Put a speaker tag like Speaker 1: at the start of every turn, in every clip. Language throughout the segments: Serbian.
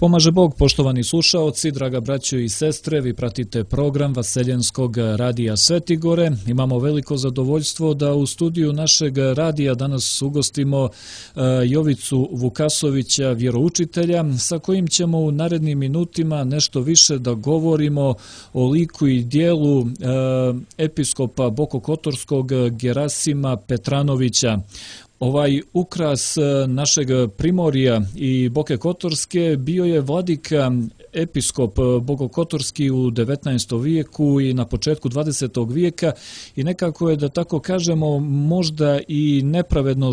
Speaker 1: Pomaže Bog, poštovani slušaoci, draga braćo i sestre, vi pratite program Vaseljenskog radija Svetigore. Imamo veliko zadovoljstvo da u studiju našeg radija danas ugostimo Jovicu Vukasovića, vjeroučitelja, sa kojim ćemo u narednim minutima nešto više da govorimo o liku i dijelu episkopa Bokokotorskog Gerasima Petranovića. Ovaj ukras našeg Primorja i Boke Kotorske bio je vladika episkop Bokokotorski u 19. vijeku i na početku 20. vijeka i nekako je, da tako kažemo, možda i nepravedno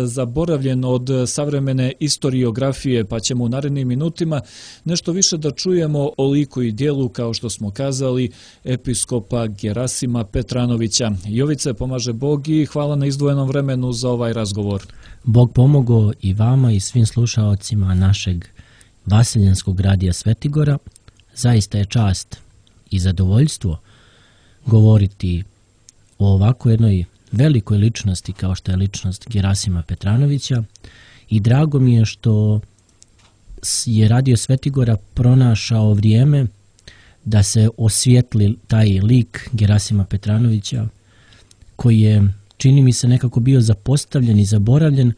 Speaker 1: zaboravljen od savremene istoriografije, pa ćemo u narednim minutima nešto više da čujemo o liku i dijelu, kao što smo kazali, episkopa Gerasima Petranovića. Jovice, pomaže Bog i hvala na izdvojenom vremenu za ovaj razgovor.
Speaker 2: Bog pomogao i vama i svim slušaocima našeg Vaseljenskog radija Svetigora. Zaista je čast i zadovoljstvo govoriti o ovako jednoj velikoj ličnosti kao što je ličnost Gerasima Petranovića i drago mi je što je Radio Svetigora pronašao vrijeme da se osvijetli taj lik Gerasima Petranovića koji je, čini mi se, nekako bio zapostavljen i zaboravljen,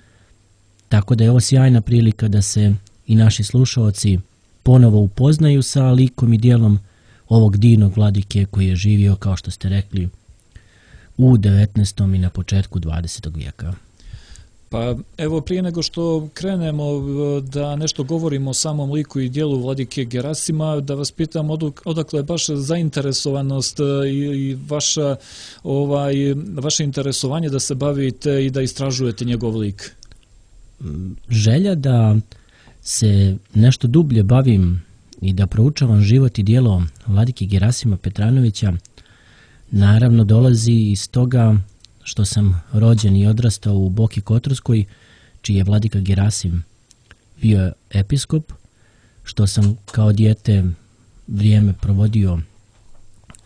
Speaker 2: tako da je ovo sjajna prilika da se i naši slušaoci ponovo upoznaju sa likom i dijelom ovog divnog vladike koji je živio, kao što ste rekli, u 19. i na početku 20. vijeka.
Speaker 1: Pa evo, prije nego što krenemo da nešto govorimo o samom liku i dijelu vladike Gerasima, da vas pitam odakle je baš zainteresovanost i vaše interesovanje da se bavite i da istražujete njegov lik?
Speaker 2: Želja da se nešto dublje bavim i da proučavam život i djelo vladike Gerasima Petranovića naravno dolazi iz toga što sam rođen i odrastao u Boki Kotorskoj, čiji je vladika Gerasim bio episkop, što sam kao dijete vrijeme provodio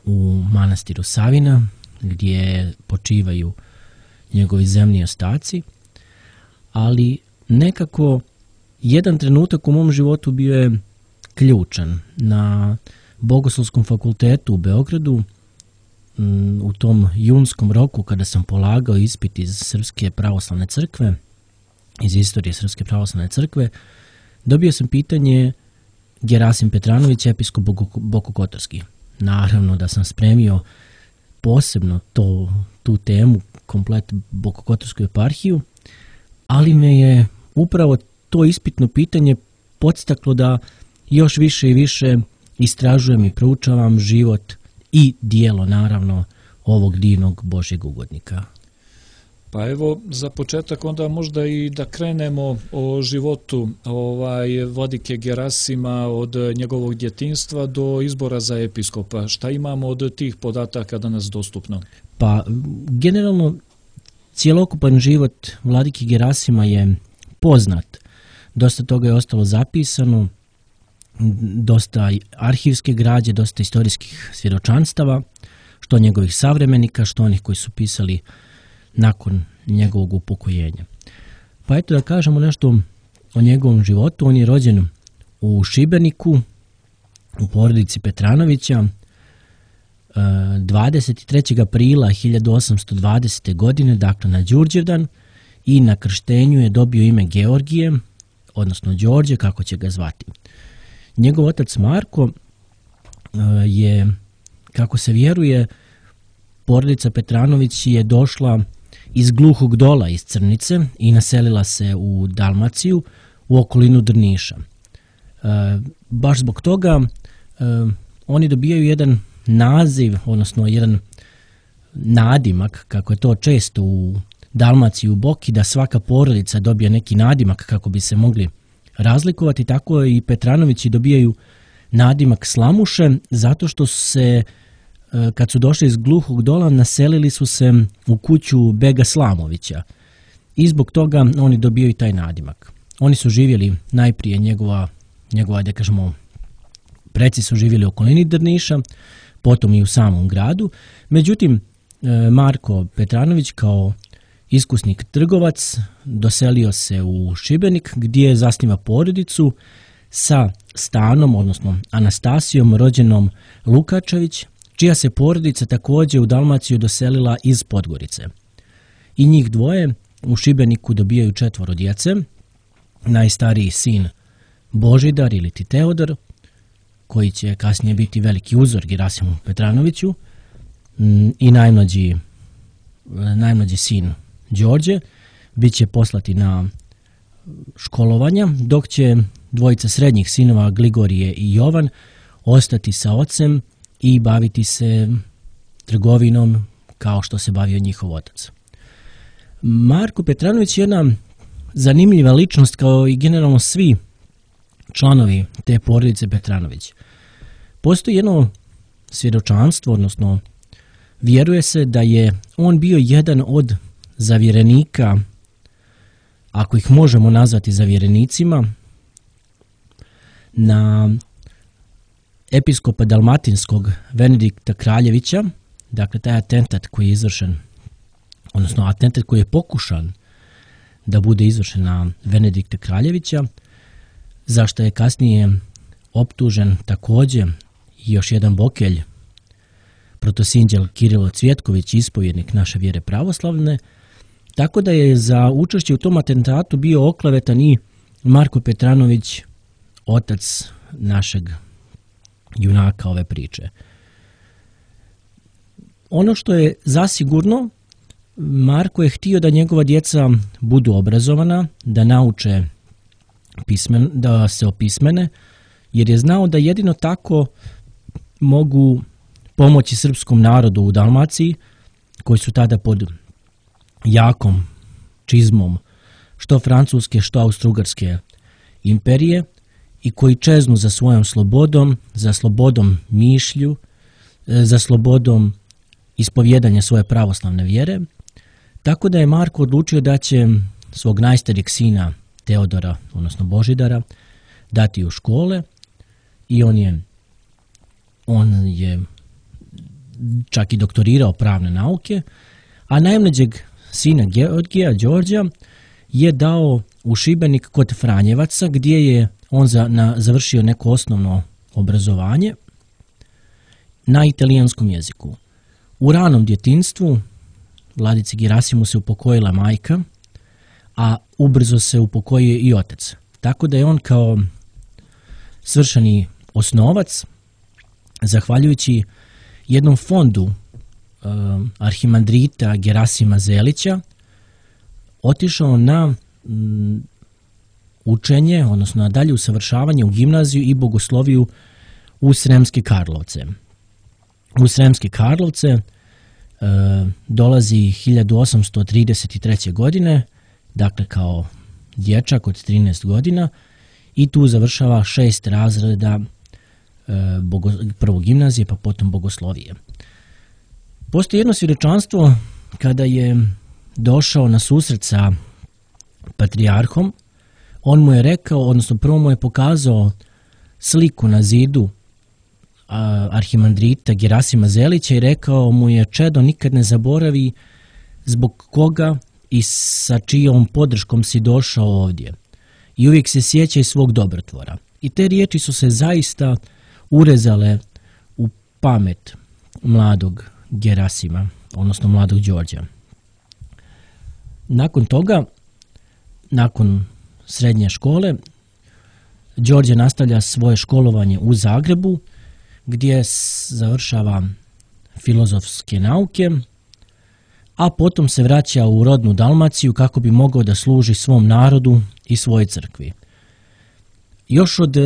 Speaker 2: u manastiru Savina, gdje počivaju njegovi zemni ostaci, ali nekako jedan trenutak u mom životu bio je ključan. Na Bogoslovskom fakultetu u Beogradu, u tom junskom roku kada sam polagao ispit iz Srpske pravoslavne crkve, iz istorije Srpske pravoslavne crkve, dobio sam pitanje Gerasim Petranović, episkop Bokokotorski. Naravno da sam spremio posebno tu temu, komplet Bokokotorsku eparhiju, ali me je upravo to ispitno pitanje podstaklo da još više i više istražujem i proučavam život i dijelo, naravno, ovog divnog Božjeg ugodnika.
Speaker 1: Pa evo, za početak onda možda i da krenemo o životu vladike Gerasima od njegovog djetinjstva do izbora za episkopa. Šta imamo od tih podataka danas dostupno?
Speaker 2: Pa, generalno, cjelokupan život vladike Gerasima je poznat. Dosta toga je ostalo zapisano, dosta arhivske građe, dosta istorijskih svjedočanstava, što njegovih savremenika, što onih koji su pisali nakon njegovog upokojenja. Pa eto da kažemo nešto o njegovom životu. On je rođen u Šibeniku, u porodici Petranovića, 23. aprila 1820. godine, dakle na Đurđevdan, i na krštenju je dobio ime Georgije, odnosno Đorđe, kako će ga zvati. Njegov otac Marko je, kako se vjeruje, porodica Petranović je došla iz Gluhog Dola, iz Crnice, i naselila se u Dalmaciju, u okolinu Drniša. Baš zbog toga oni dobijaju jedan naziv, odnosno jedan nadimak, kako je to često u Dalmaciji, u Boki, da svaka porodica dobije neki nadimak kako bi se mogli razlikovati. Tako i Petranovići dobijaju nadimak Slamuše, zato što se, kad su došli iz Gluhog Dola, naselili su se u kuću Bega Slamovića i zbog toga oni dobijaju taj nadimak. Oni su živjeli najprije, njegova, da kažemo, preci su živjeli u okolini Drniša, potom i u samom gradu. Međutim, Marko Petranović kao iskusni trgovac doselio se u Šibenik, gdje zasniva porodicu sa Stanom, odnosno Anastasijom, rođenom Lukačević, čija se porodica također u Dalmaciju doselila iz Podgorice. I njih dvoje u Šibeniku dobijaju 4 djece, najstariji sin Božidar ili ti Teodor, koji će kasnije biti veliki uzor Gerasimu Petranoviću, i najmlađi sin Đorđe bit će poslati na školovanja, dok će dvojica srednjih sinova Gligorije i Jovan ostati sa ocem i baviti se trgovinom kao što se bavio njihov otac. Marko Petranović je jedna zanimljiva ličnost, kao i generalno svi članovi te porodice Petranović. Postoji jedno svjedočanstvo, odnosno vjeruje se da je on bio jedan od zavjerenika, ako ih možemo nazvati zavjerenicima, na episkopa Dalmatinskog Venedikta Kraljevića, dakle taj atentat koji je izvršen, odnosno atentat koji je pokušan da bude izvršen na Venedikta Kraljevića, zašto je kasnije optužen također još jedan bokelj, protosinđel Kirilo Cvjetković, ispovjednik naše vjere pravoslavne, tako da je za učešće u tom atentatu bio oklevetan i Marko Petranović, otac našeg junaka ove priče. Ono što je zasigurno, Marko je htio da njegova djeca budu obrazovana, da nauče da se opismene, jer je znao da jedino tako mogu pomoći srpskom narodu u Dalmaciji, koji su tada pod jakom čizmom što francuske, što austrougarske imperije i koji čeznu za svojom slobodom, za slobodom mišlju, za slobodom ispovjedanja svoje pravoslavne vjere. Tako da je Marko odlučio da će svog najstarijeg sina Teodora, odnosno Božidara, dati u škole i on je čak i doktorirao pravne nauke, a najmlađeg sina Georgija, Đorđa, je dao u Šibenik kod Franjevaca, gdje je on završio neko osnovno obrazovanje na italijanskom jeziku. U ranom djetinjstvu Vladici Gerasimu se upokojila majka, a ubrzo se upokojio i otac. Tako da je on kao svršeni osnovac, zahvaljujući jednom fondu arhimandrita Gerasima Zelića, otišao na učenje, odnosno na dalje usavršavanje u gimnaziju i bogosloviju u Sremske Karlovce. U Sremske Karlovce dolazi 1833. godine, dakle kao dječak od 13 godina, i tu završava 6 razreda prvo gimnazije, pa potom bogoslovije. Postoji jedno svjedočanstvo kada je došao na susret sa patrijarhom. On mu je rekao, odnosno prvo mu je pokazao sliku na zidu arhimandrita Gerasima Zelića i rekao mu je: čedo, nikad ne zaboravi zbog koga i sa čijom podrškom si došao ovdje. I uvijek se sjećaj svog dobrotvora. I te riječi su se zaista urezale u pamet mladog Gerasima, odnosno mladog Đorđa. Nakon toga, nakon srednje škole, Đorđe nastavlja svoje školovanje u Zagrebu, gdje završava filozofske nauke, a potom se vraća u rodnu Dalmaciju kako bi mogao da služi svom narodu i svojoj crkvi. Još od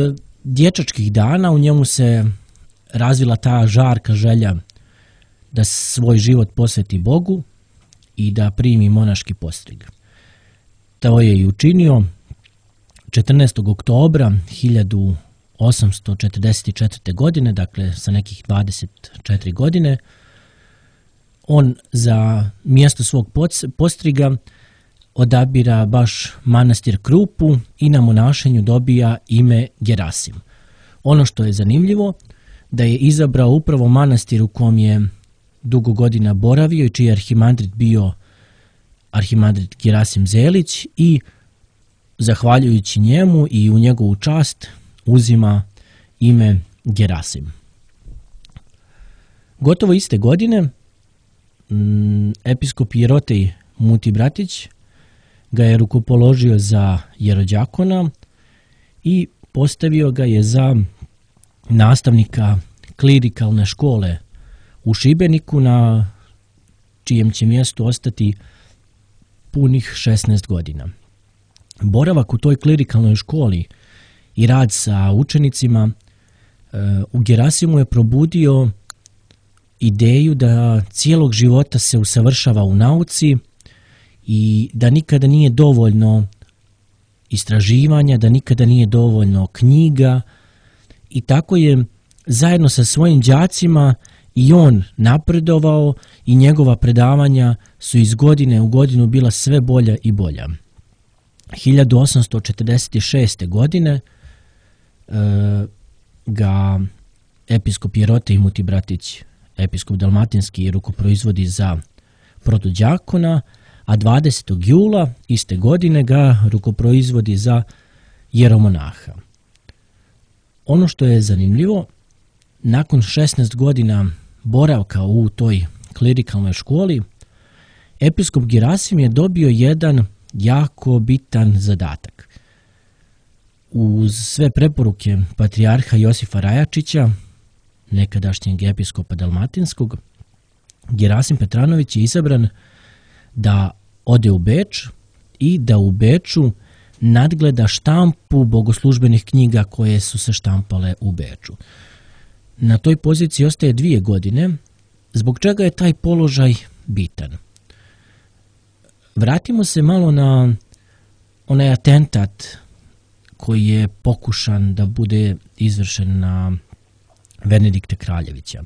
Speaker 2: dječačkih dana u njemu se razvila ta žarka želja da svoj život posveti Bogu i da primi monaški postrig. To je i učinio 14. oktobra 1844. godine, dakle sa nekih 24 godine. On za mjesto svog postriga odabira baš manastir Krupu i na monašenju dobija ime Gerasim. Ono što je zanimljivo, da je izabrao upravo manastir u kom je dugo godina boravio i čiji je arhimandrit bio arhimandrit Gerasim Zelić, i zahvaljujući njemu i u njegovu čast uzima ime Gerasim. Gotovo iste godine episkop Jerotej Mutibratić ga je rukopoložio za jerođakona i postavio ga je za nastavnika klirikalne škole u Šibeniku, na čijem će mjestu ostati punih 16 godina. Boravak u toj klirikalnoj školi i rad sa učenicima u Gerasimu je probudio ideju da cijelog života se usavršava u nauci i da nikada nije dovoljno istraživanja, da nikada nije dovoljno knjiga, i tako je zajedno sa svojim đacima i on napredovao i njegova predavanja su iz godine u godinu bila sve bolja i bolja. 1846. godine ga episkop Jerotej Mutibratić, episkop dalmatinski, rukoproizvodi za protođakona, a 20. jula iste godine ga rukoproizvodi za jeromonaha. Ono što je zanimljivo, nakon 16 godina boravka u toj klirikalnoj školi, episkop Gerasim je dobio jedan jako bitan zadatak. Uz sve preporuke patrijarha Josifa Rajačića, nekadašnjeg episkopa dalmatinskog, Gerasim Petranović je izabran da ode u Beč i da u Beču nadgleda štampu bogoslužbenih knjiga koje su se štampale u Beču. Na toj poziciji ostaje 2 godine, zbog čega je taj položaj bitan. Vratimo se malo na onaj atentat koji je pokušan da bude izvršen na Benedikta Kraljevića.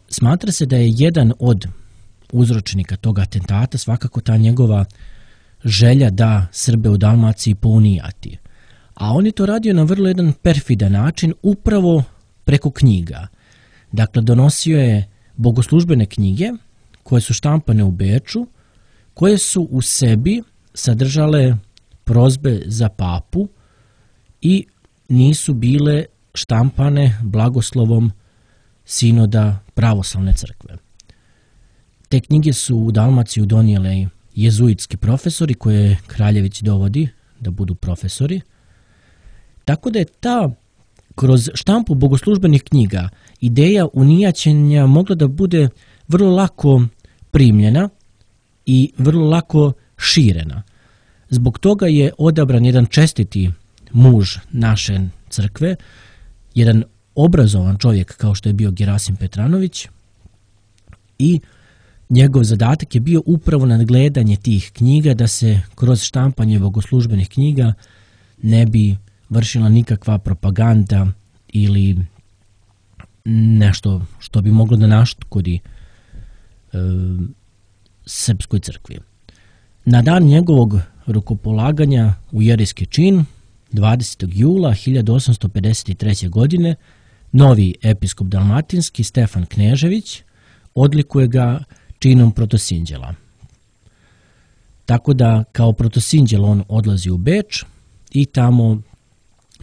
Speaker 2: Smatra se da je jedan od uzročnika tog atentata svakako ta njegova želja da Srbe u Dalmaciji pounijati. A on je to radio na vrlo jedan perfidan način, upravo preko knjiga. Dakle, donosio je bogoslužbene knjige koje su štampane u Beču, koje su u sebi sadržale prozbe za papu i nisu bile štampane blagoslovom sinoda pravoslavne crkve. Te knjige su u Dalmaciju donijeli jezuitski profesori koje Kraljević dovodi da budu profesori. Tako da je ta, kroz štampu bogoslužbenih knjiga, ideja unijaćenja mogla da bude vrlo lako primljena i vrlo lako širena. Zbog toga je odabran jedan čestiti muž naše crkve, jedan obrazovan čovjek kao što je bio Gerasim Petranović, i njegov zadatak je bio upravo nadgledanje tih knjiga, da se kroz štampanje bogoslužbenih knjiga ne bi vršila nikakva propaganda ili nešto što bi moglo da naškodi srpskoj crkvi. Na dan njegovog rukopolaganja u jerijski čin, 20. jula 1853. godine, novi episkop dalmatinski Stefan Knežević odlikuje ga činom protosinđela. Tako da kao protosinđel on odlazi u Beč i tamo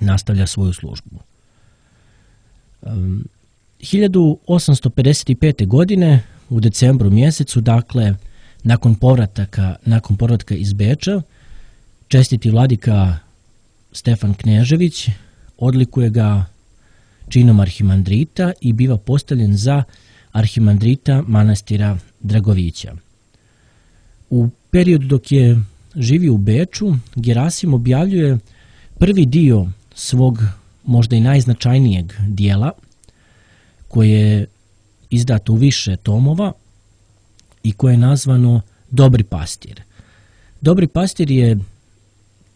Speaker 2: nastavlja svoju službu. 1855. godine u decembru mjesecu, dakle nakon povratka iz Beča, čestiti vladika Stefan Knežević odlikuje ga činom arhimandrita i biva postavljen za arhimandrita manastira Dragovića. U periodu dok je živio u Beču, Gerasim objavljuje prvi dio svog možda i najznačajnijeg dijela, koje je izdato u više tomova i koje je nazvano Dobri pastir. Dobri pastir je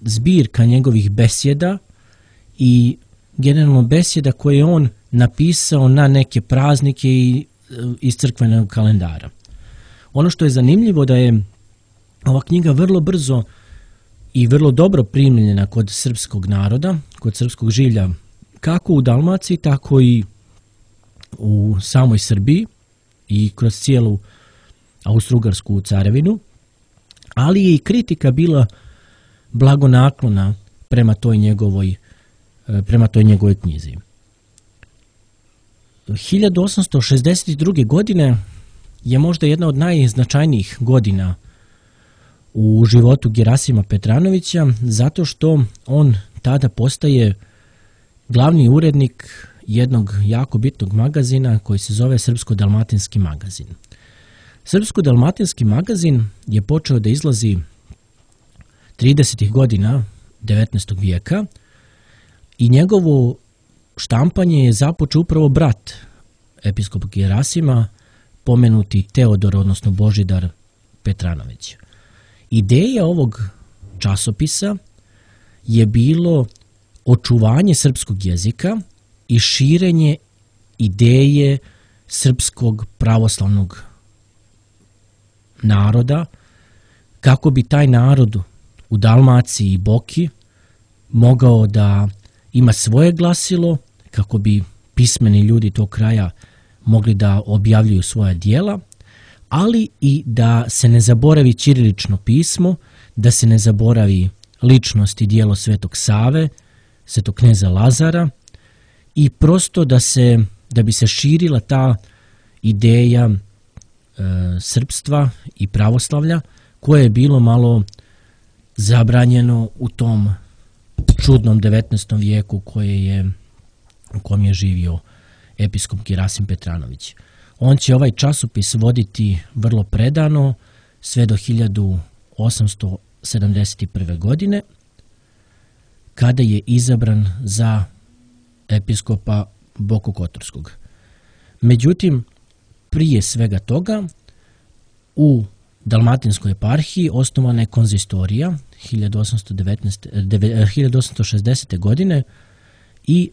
Speaker 2: zbirka njegovih besjeda i generalno besjeda koje je on napisao na neke praznike i iz crkvenog kalendara. Ono što je zanimljivo da je ova knjiga vrlo brzo i vrlo dobro primljena kod srpskog naroda, kod srpskog žilja, kako u Dalmaciji, tako i u samoj Srbiji i kroz cijelu Austro-Ugarsku carevinu, ali je i kritika bila blagonaklona prema toj njegovoj prema toj njegovoj knjizi. 1862. godine je možda jedna od najznačajnijih godina u životu Gerasima Petranovića, zato što on tada postaje glavni urednik jednog jako bitnog magazina koji se zove Srpsko-dalmatinski magazin. Srpsko-dalmatinski magazin je počeo da izlazi 30. godina 19. vijeka i njegovo štampanje je započeo upravo brat episkopa Gerasima, pomenuti Teodor, odnosno Božidar Petranović. Ideja ovog časopisa je bilo očuvanje srpskog jezika i širenje ideje srpskog pravoslavnog naroda, kako bi taj narod u Dalmaciji i Boki mogao da ima svoje glasilo, kako bi pismeni ljudi tog kraja mogli da objavljuju svoja djela, ali i da se ne zaboravi ćirilično pismo, da se ne zaboravi ličnost i djelo Svetog Save, Svetog kneza Lazara, i prosto da bi se širila ta ideja srpstva i pravoslavlja, koje je bilo malo zabranjeno u tom čudnom 19. vijeku u kom je živio episkop Gerasim Petranović. On će ovaj časopis voditi vrlo predano sve do 1871. godine, kada je izabran za episkopa Bokokotorskog. Međutim, prije svega toga, u Dalmatinskoj eparhiji osnovana je konzistorija 1860. godine i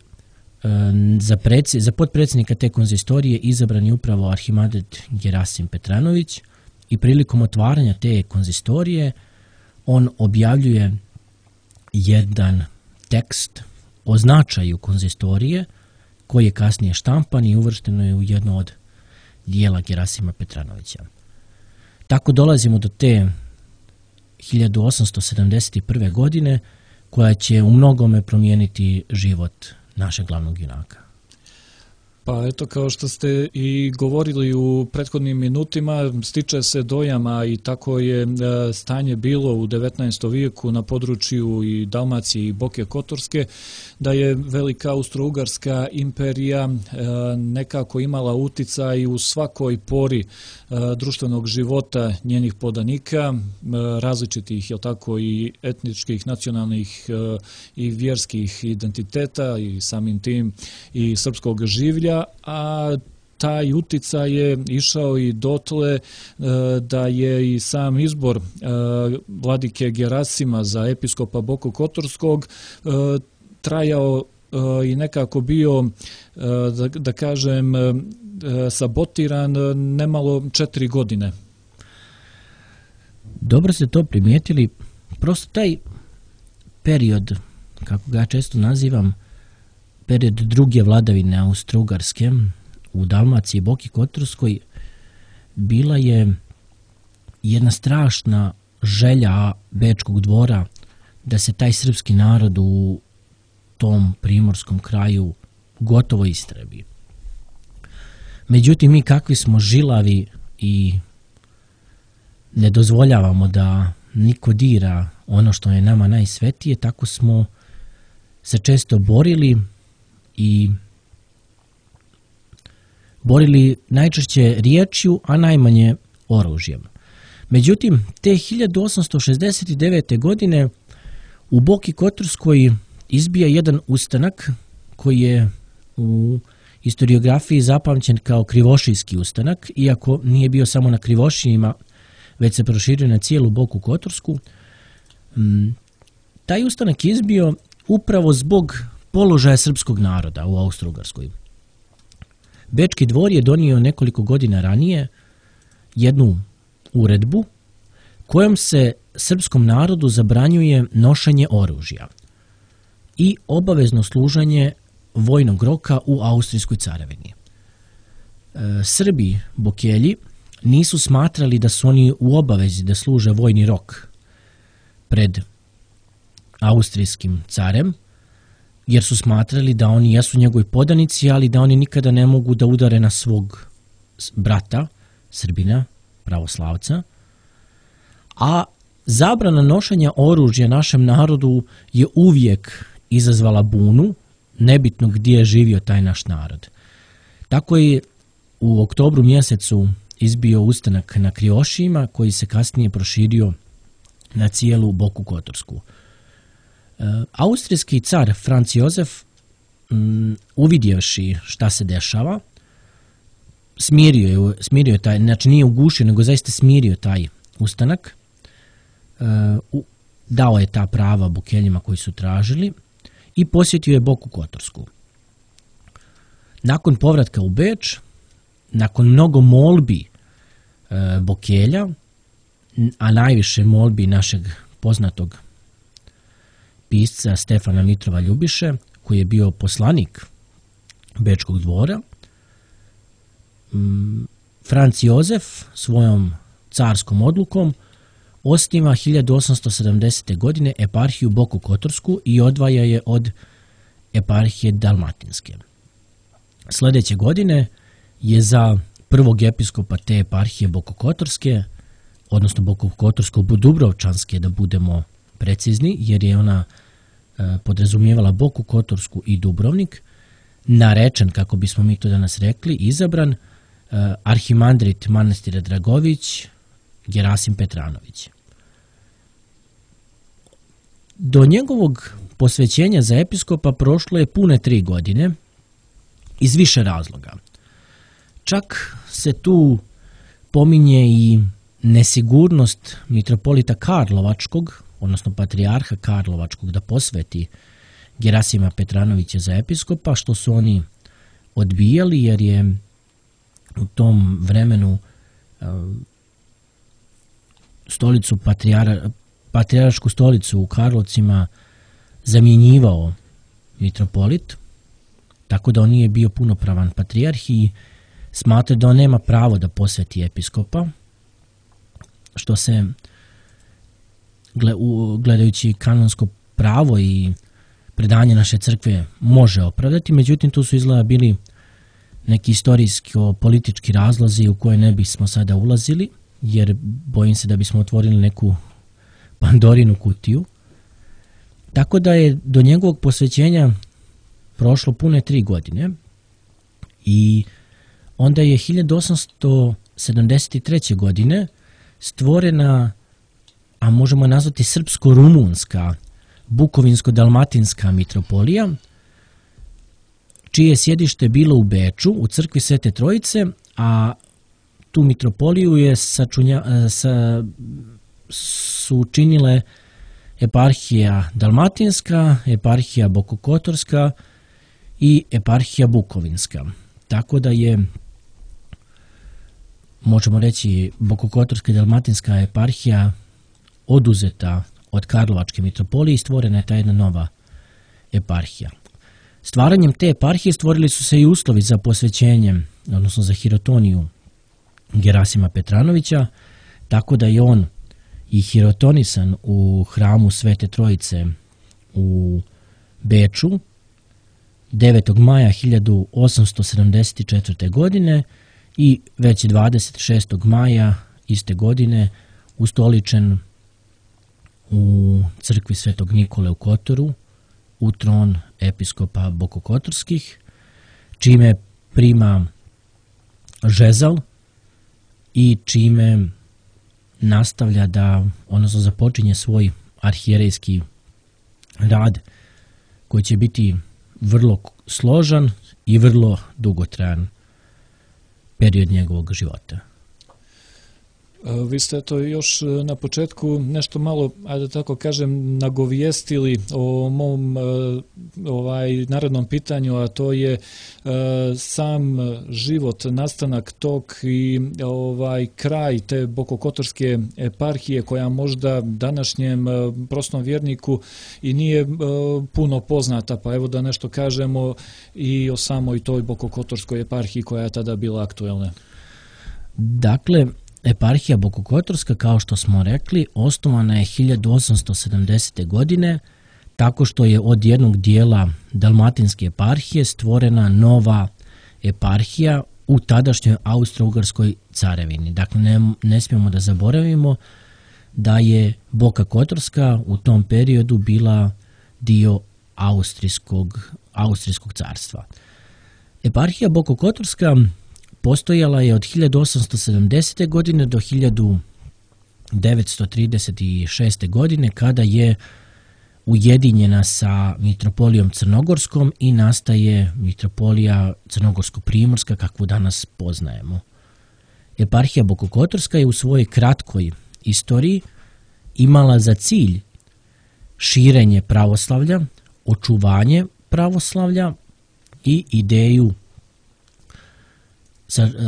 Speaker 2: za potpredsjednika te konzistorije izabran je upravo arhimandet Gerasim Petranović, i prilikom otvaranja te konzistorije on objavljuje jedan tekst o značaju konzistorije, koji je kasnije štampan i uvršteno je u jedno od dijela Gerasima Petranovića. Tako dolazimo do te 1871. godine, koja će u mnogome promijeniti život našeg glavnog junaka.
Speaker 1: Pa eto, kao što ste i govorili u prethodnim minutima, stiče se dojama i tako je stanje bilo u 19. vijeku na području i Dalmacije i Boke Kotorske, da je velika Austro-Ugarska imperija nekako imala uticaj u svakoj pori društvenog života njenih podanika, različitih, jel tako, i etničkih, nacionalnih i vjerskih identiteta i samim tim i srpskog življa, a taj uticaj je išao i dotle da je i sam izbor vladike Gerasima za episkopa Bokokotorskog trajao i nekako bio, da kažem, sabotiran nemalo 4 godine.
Speaker 2: Dobro ste to primijetili. Prosto taj period, kako ga često nazivam, period druge vladavine Austro-Ugarske u Dalmaciji i Boki Kotorskoj, bila je jedna strašna želja Bečkog dvora da se taj srpski narod u tom primorskom kraju gotovo istrebi. Međutim, mi kakvi smo žilavi i ne dozvoljavamo da niko dira ono što je nama najsvetije, tako smo se često borili i borili najčešće riječju, a najmanje oružjem. Međutim, te 1869. godine u Boki Kotorskoj izbija jedan ustanak koji je u historiografiji zapamćen kao Krivošijski ustanak, iako nije bio samo na Krivošijima, već se proširio na cijelu Boku Kotorsku. Taj ustanak je izbio upravo zbog položaja srpskog naroda u Austro-Ugarskoj. Bečki dvor je donio nekoliko godina ranije jednu uredbu kojom se srpskom narodu zabranjuje nošenje oružja i obavezno služenje vojnog roka u Austrijskoj carevini. Srbi, Bokelji, nisu smatrali da su oni u obavezi da služe vojni rok pred austrijskim carem, jer su smatrali da oni jesu njegovi podanici, ali da oni nikada ne mogu da udare na svog brata, Srbina, pravoslavca. A zabrana nošenja oružja našem narodu je uvijek izazvala bunu, nebitno gdje je živio taj naš narod. Tako je u oktobru mjesecu izbio ustanak na Kriošijima, koji se kasnije proširio na cijelu Boku Kotorsku. Austrijski car Franz Josef, uvidjevši šta se dešava, smirio je taj, znači nije ugušio, nego zaista smirio taj ustanak, dao je ta prava Bokeljima koji su tražili i posjetio je Boku Kotorsku. Nakon povratka u Beč, nakon mnogo molbi Bokelja, a najviše molbi našeg poznatog pisca Stefana Mitrova Ljubiše, koji je bio poslanik Bečkog dvora, Franz Josef svojom carskom odlukom osniva 1870. godine eparhiju Boku Kotorsku i odvaja je od eparhije Dalmatinske. Sljedeće godine je za prvog episkopa te eparhije Boku Kotorske, odnosno Boku Kotorsko-Dubrovčanske, da budemo precizni, jer je ona podrazumijevala Boku Kotorsku i Dubrovnik, narečen, kako bismo mi to danas rekli, izabran arhimandrit manastira Dragović Gerasim Petranović. Do njegovog posvećenja za episkopa prošlo je pune 3 godine iz više razloga. Čak se tu pominje i nesigurnost mitropolita Karlovačkog, odnosno patrijarha Karlovačkog, da posveti Gerasima Petranovića za episkopa, što su oni odbijali, jer je u tom vremenu patrijaršku stolicu u Karlovcima zamjenjivao mitropolit, tako da on nije bio punopravan patrijarh i smatra da on nema pravo da posveti episkopa, što se gledajući kanonsko pravo i predanje naše crkve može opravdati, međutim tu su izgleda bili neki istorijsko-politički razlozi u koje ne bismo sada ulazili, jer bojim se da bismo otvorili neku Pandorinu kutiju. Tako da je do njegovog posvećenja prošlo pune 3 godine i onda je 1873. godine stvorena, a možemo nazvati srpsko-rumunska, bukovinsko-dalmatinska mitropolija, čije je sjedište bilo u Beču, u crkvi Svete Trojice, a tu mitropoliju je su učinile eparhija Dalmatinska, eparhija Bokokotorska i eparhija Bukovinska. Tako da je, možemo reći, Bokokotorska i Dalmatinska eparhija oduzeta od Karlovačke mitropolije i stvorena je ta jedna nova eparhija. Stvaranjem te eparhije stvorili su se i uslovi za posvećenje, odnosno za hirotoniju Gerasima Petranovića, tako da je on i hirotonisan u hramu Svete Trojice u Beču 9. maja 1874. godine i već 26. maja iste godine ustoličen u crkvi Svetog Nikole u Kotoru u tron episkopa Bokokotorskih, čime prima žezal i čime nastavlja da, odnosno započinje svoj arhijerejski rad koji će biti vrlo složan i vrlo dugotrajan period njegovog života.
Speaker 1: Vi ste to još na početku nešto malo, ajde tako kažem, nagovijestili o mom narednom pitanju, a to je sam život, nastanak tog i kraj te Bokokotorske eparhije, koja možda današnjem prostom vjerniku i nije puno poznata, pa evo da nešto kažemo i o samoj toj Bokokotorskoj eparhiji koja je tada bila aktuelna.
Speaker 2: Dakle, eparhija Bokokotorska, kao što smo rekli, osnovana je 1870. godine tako što je od jednog dijela Dalmatinske eparhije stvorena nova eparhija u tadašnjoj Austro-Ugarskoj carevini. Dakle, ne smijemo da zaboravimo da je Boka Kotorska u tom periodu bila dio Austrijskog carstva. Eparhija Boko Kotorska postojala je od 1870. godine do 1936. godine, kada je ujedinjena sa mitropolijom Crnogorskom i nastaje mitropolija Crnogorsko-primorska kakvu danas poznajemo. Eparhija Boko Kotorska je u svojoj kratkoj istoriji imala za cilj širenje pravoslavlja, očuvanje pravoslavlja i ideju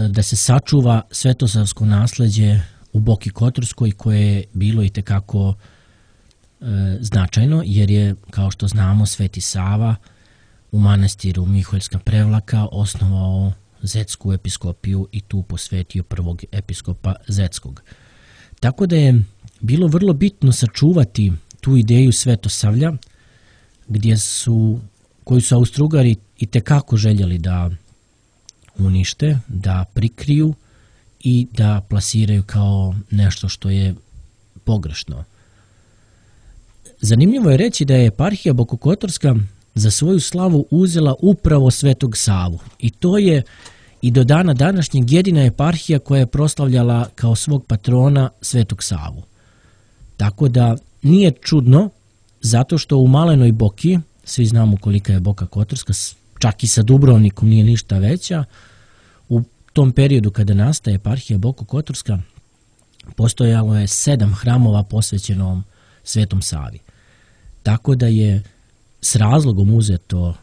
Speaker 2: da se sačuva svetosavsko nasleđe u Boki Kotorskoj, koje je bilo itekako značajno, jer je, kao što znamo, Sveti Sava u manastiru Miholjska Prevlaka osnovao Zetsku episkopiju i tu posvetio prvog episkopa Zetskog. Tako da je bilo vrlo bitno sačuvati tu ideju svetosavlja, koju su Austro-Ugari itekako željeli da unište, da prikriju i da plasiraju kao nešto što je pogrešno. Zanimljivo je reći da je eparhija Boko Kotorska za svoju slavu uzela upravo Svetog Savu i to je i do dana današnjeg jedina eparhija koja je proslavljala kao svog patrona Svetog Savu. Tako da nije čudno, zato što u Malenoj Boki, svi znamo kolika je Boka Kotorska, čak i sa Dubrovnikom nije ništa veća, u tom periodu kada nastaje eparhija Boko Kotorska postojalo je 7 hramova posvećenom Svetom Savi. Tako da je s razlogom uzeto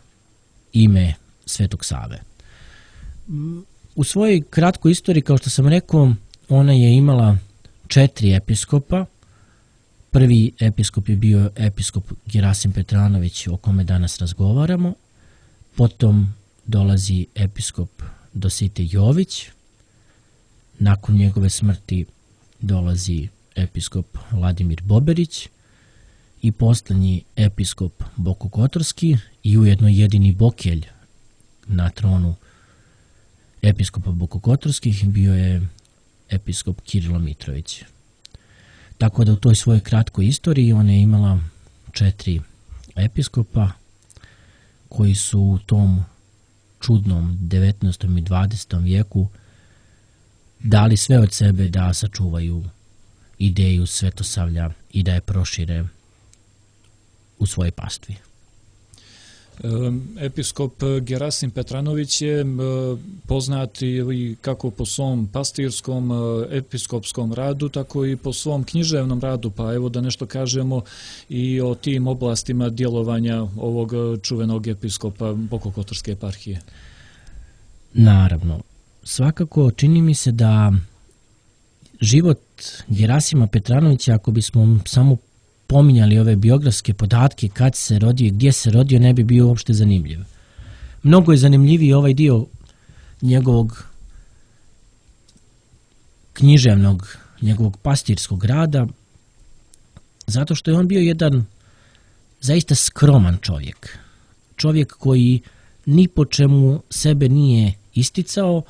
Speaker 2: ime Svetog Save. U svojoj kratkoj istoriji, kao što sam rekao, ona je imala 4 episkopa. Prvi episkop je bio episkop Gerasim Petranović, o kome danas razgovaramo. Potom dolazi episkop Dositej Jović. Nakon njegove smrti dolazi episkop Vladimir Boberić i posljednji episkop Boko Kotorski i ujedno jedini bokelj na tronu episkopa Boko Kotorskih bio je episkop Kirilo Mitrović. Tako da u toj svojoj kratkoj istoriji ona je imala 4 episkopa koji su u tom čudnom 19. i 20. vijeku dali sve od sebe da sačuvaju ideju svetosavlja i da je prošire u svojoj pastvi.
Speaker 1: Episkop Gerasim Petranović je poznat i kako po svom pastirskom episkopskom radu, tako i po svom književnom radu, pa evo da nešto kažemo i o tim oblastima djelovanja ovog čuvenog episkopa Boko Kotorske eparhije.
Speaker 2: Naravno, svakako čini mi se da život Gerasima Petranovića, ako bismo samo pominjali ove biografske podatke, kad se rodio i gdje se rodio, ne bi bio uopšte zanimljiv. Mnogo je zanimljiviji ovaj dio njegovog književnog, njegovog pastirskog rada, zato što je on bio jedan zaista skroman čovjek. Čovjek koji ni po čemu sebe nije isticao,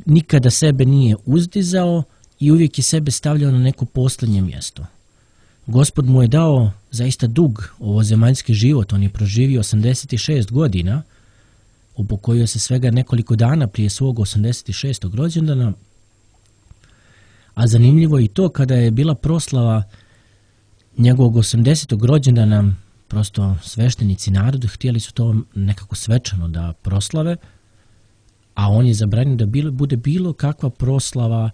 Speaker 2: nikada sebe nije uzdizao i uvijek je sebe stavljao na neko posljednje mjesto. Gospod mu je dao zaista dug ovozemaljski život, on je proživio 86 godina, upokojio se svega nekoliko dana prije svog 86. rođendana, a zanimljivo je i to kada je bila proslava njegovog 80. rođendana, prosto sveštenici narodu htjeli su to nekako svečano da proslave, a on je zabranio da bude bilo kakva proslava,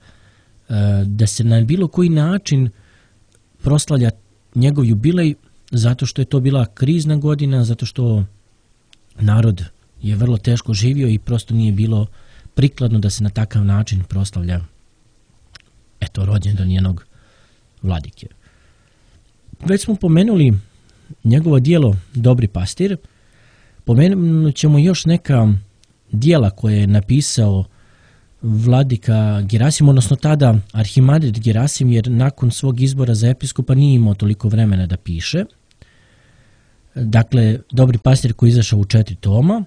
Speaker 2: da se na bilo koji način proslavlja njegov jubilej, zato što je to bila krizna godina, zato što narod je vrlo teško živio i prosto nije bilo prikladno da se na takav način proslavlja rođendan njenog vladike. Već smo pomenuli njegovo djelo Dobri pastir, pomenut ćemo još neka djela koje je napisao vladika Gerasim, odnosno tada arhimandrit Gerasim, jer nakon svog izbora za episkopa nije imao toliko vremena da piše. Dakle, Dobri pastir koji je izašao u 4 toma.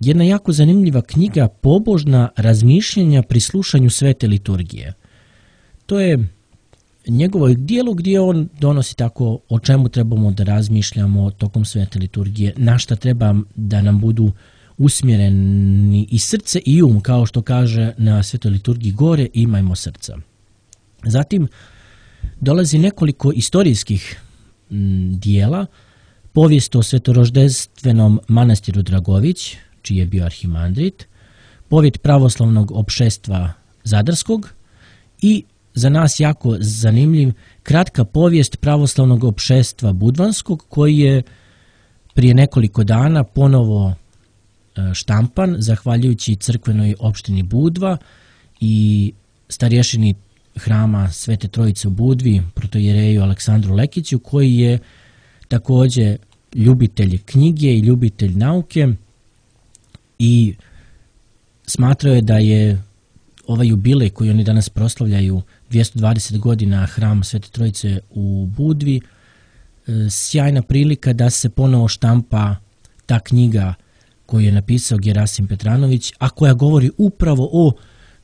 Speaker 2: Jedna jako zanimljiva knjiga, pobožna razmišljanja pri slušanju svete liturgije. To je njegovo dijelo gdje on donosi tako o čemu trebamo da razmišljamo tokom svete liturgije, na šta treba da nam budu usmjereni i srce i kao što kaže na svetoj liturgiji gore, imajmo srca. Zatim dolazi nekoliko istorijskih dijela, povijest o svetoroždestvenom manastiru Dragović, čiji je bio arhimandrit, povijest pravoslavnog opšestva Zadarskog i za nas jako zanimljiv kratka povijest pravoslavnog opšestva Budvanskog, koji je prije nekoliko dana ponovo štampan zahvaljujući crkvenoj opštini Budva i starješini hrama Svete Trojice u Budvi, protojereju Aleksandru Lekiću, koji je također ljubitelj knjige i ljubitelj nauke i smatrao je da je ovaj jubilej koji oni danas proslavljaju 220 godina hram Svete Trojice u Budvi sjajna prilika da se ponovo štampa ta knjiga koju je napisao Gerasim Petranović, a koja govori upravo o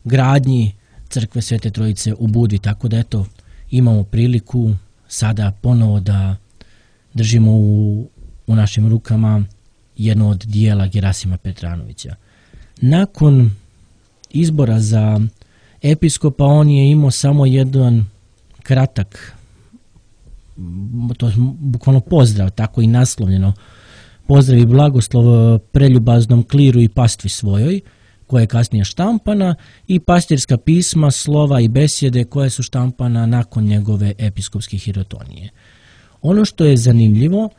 Speaker 2: gradnji crkve Svete Trojice u Budvi, tako da eto imamo priliku sada ponovo da držimo u našim rukama jedno od dijela Gerasima Petranovića. Nakon izbora za episkopa on je imao samo jedan kratak, to je bukvalno pozdrav, tako i naslovljeno, pozdrav i blagoslov preljubaznom kliru i pastvi svojoj, koja je kasnije štampana, i pastirska pisma, slova i besjede koje su štampana nakon njegove episkopske hirotonije. Ono što je zanimljivo,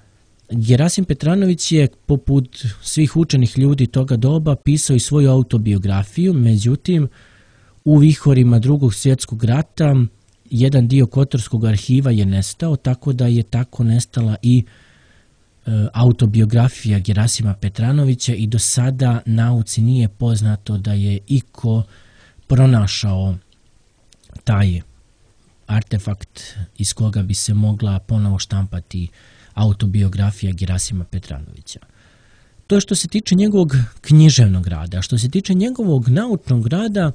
Speaker 2: Gerasim Petranović je, poput svih učenih ljudi toga doba, pisao i svoju autobiografiju, međutim, u vihorima Drugog svjetskog rata jedan dio Kotorskog arhiva je nestao, tako da je tako nestala i autobiografija Gerasima Petranovića i do sada nauci nije poznato da je iko pronašao taj artefakt iz koga bi se mogla ponovo štampati autobiografija Gerasima Petranovića. To je što se tiče njegovog književnog rada. Što se tiče njegovog naučnog rada,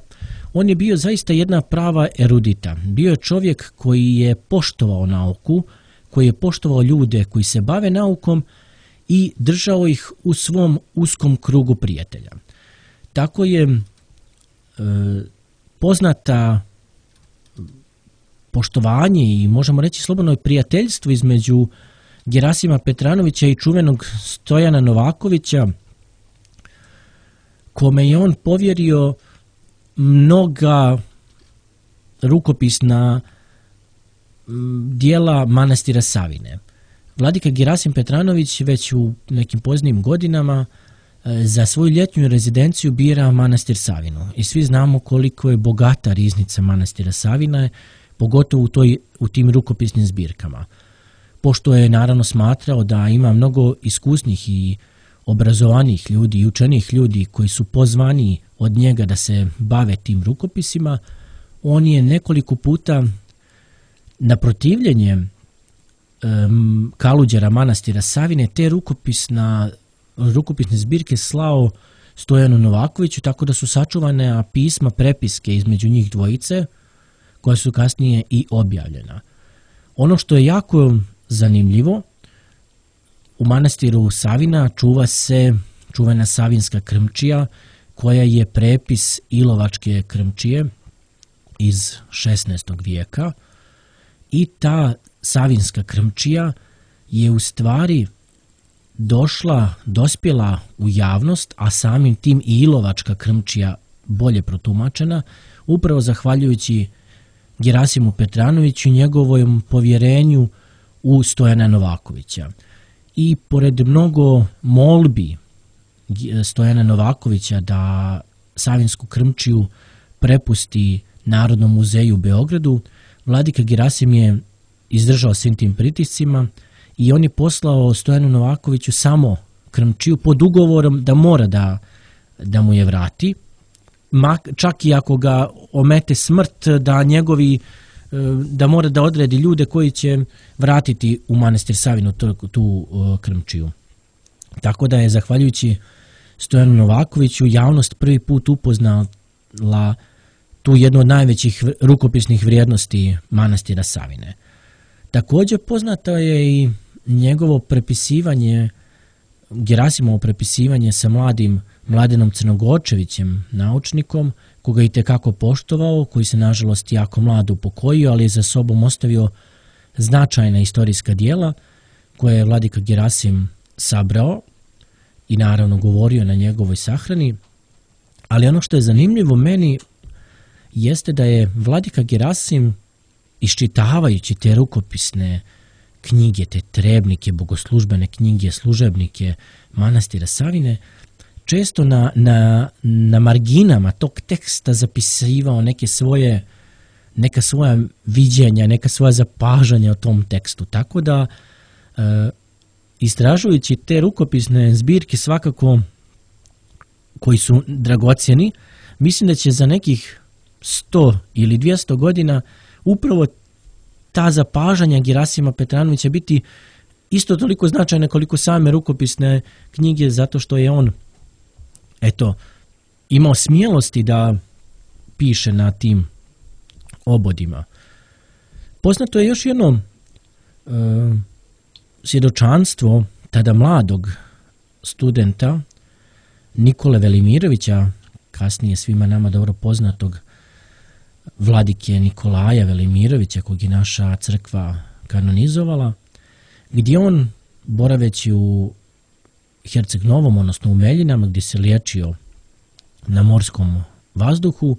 Speaker 2: on je bio zaista jedna prava erudita. Bio je čovjek koji je poštovao nauku, koji je poštovao ljude koji se bave naukom i držao ih u svom uskom krugu prijatelja. Tako je poznata poštovanje i možemo reći slobodno prijateljstvo između Gerasima Petranovića i čuvenog Stojana Novakovića, kome je on povjerio mnoga rukopisna dijela manastira Savine. Vladika Gerasim Petranović već u nekim poznijim godinama za svoju ljetnju rezidenciju bira manastir Savinu. I svi znamo koliko je bogata riznica manastira Savina, pogotovo u tim rukopisnim zbirkama. Pošto je naravno smatrao da ima mnogo iskusnih i obrazovanih ljudi i učenih ljudi koji su pozvani od njega da se bave tim rukopisima, on je nekoliko puta na protivljenje kaluđera manastira Savine te rukopisne zbirke slao Stojanu Novakoviću, tako da su sačuvane pisma, prepiske između njih dvojice, koja su kasnije i objavljena. Ono što je jako zanimljivo, u manastiru Savina čuva se čuvena Savinska krmčija, koja je prepis Ilovačke krmčije iz 16. vijeka, i ta Savinska krmčija je u stvari dospjela u javnost, a samim tim i Ilovačka krmčija bolje protumačena, upravo zahvaljujući Gerasimu Petranoviću i njegovom povjerenju u Stojana Novakovića. I pored mnogo molbi Stojana Novakovića da Savinsku krmčiju prepusti Narodnom muzeju u Beogradu, vladika Gerasim je izdržao svim tim pritiscima i on je poslao Stojanu Novakoviću samo krmčiju pod ugovorom da mora da mu je vrati, čak i ako ga omete smrt, da njegovi da mora da odredi ljude koji će vratiti u manastir Savinu tu krmčiju. Tako da je, zahvaljujući Stojanu Novakoviću, javnost prvi put upoznala tu jednu od najvećih rukopisnih vrijednosti manastira Savine. Također poznato je i njegovo prepisivanje, Gerasimovo prepisivanje sa mladim Mladenom Crnogorčevićem, naučnikom, koga je itekako poštovao, koji se nažalost jako mlado upokojio, ali je za sobom ostavio značajna istorijska dijela koje je vladika Gerasim sabrao i naravno govorio na njegovoj sahrani. Ali ono što je zanimljivo meni jeste da je vladika Gerasim, iščitavajući te rukopisne knjige, te trebnike, bogoslužbene knjige, služebnike manastira Savine, često na marginama tog teksta zapisivao neka svoja viđenja, neka svoja zapažanja o tom tekstu. Tako da, istražujući te rukopisne zbirke svakako koji su dragocjeni, mislim da će za nekih 100 ili 200 godina upravo ta zapažanja Gerasima Petranovića biti isto toliko značajne koliko same rukopisne knjige, zato što je on imao smjelosti da piše na tim obodima. Poznato je još jedno svjedočanstvo tada mladog studenta Nikole Velimirovića, kasnije svima nama dobro poznatog vladike Nikolaja Velimirovića, kojeg je naša crkva kanonizovala, gdje on, boraveći u Herceg Novom, odnosno u Meljinama, gdje se liječio na morskom vazduhu,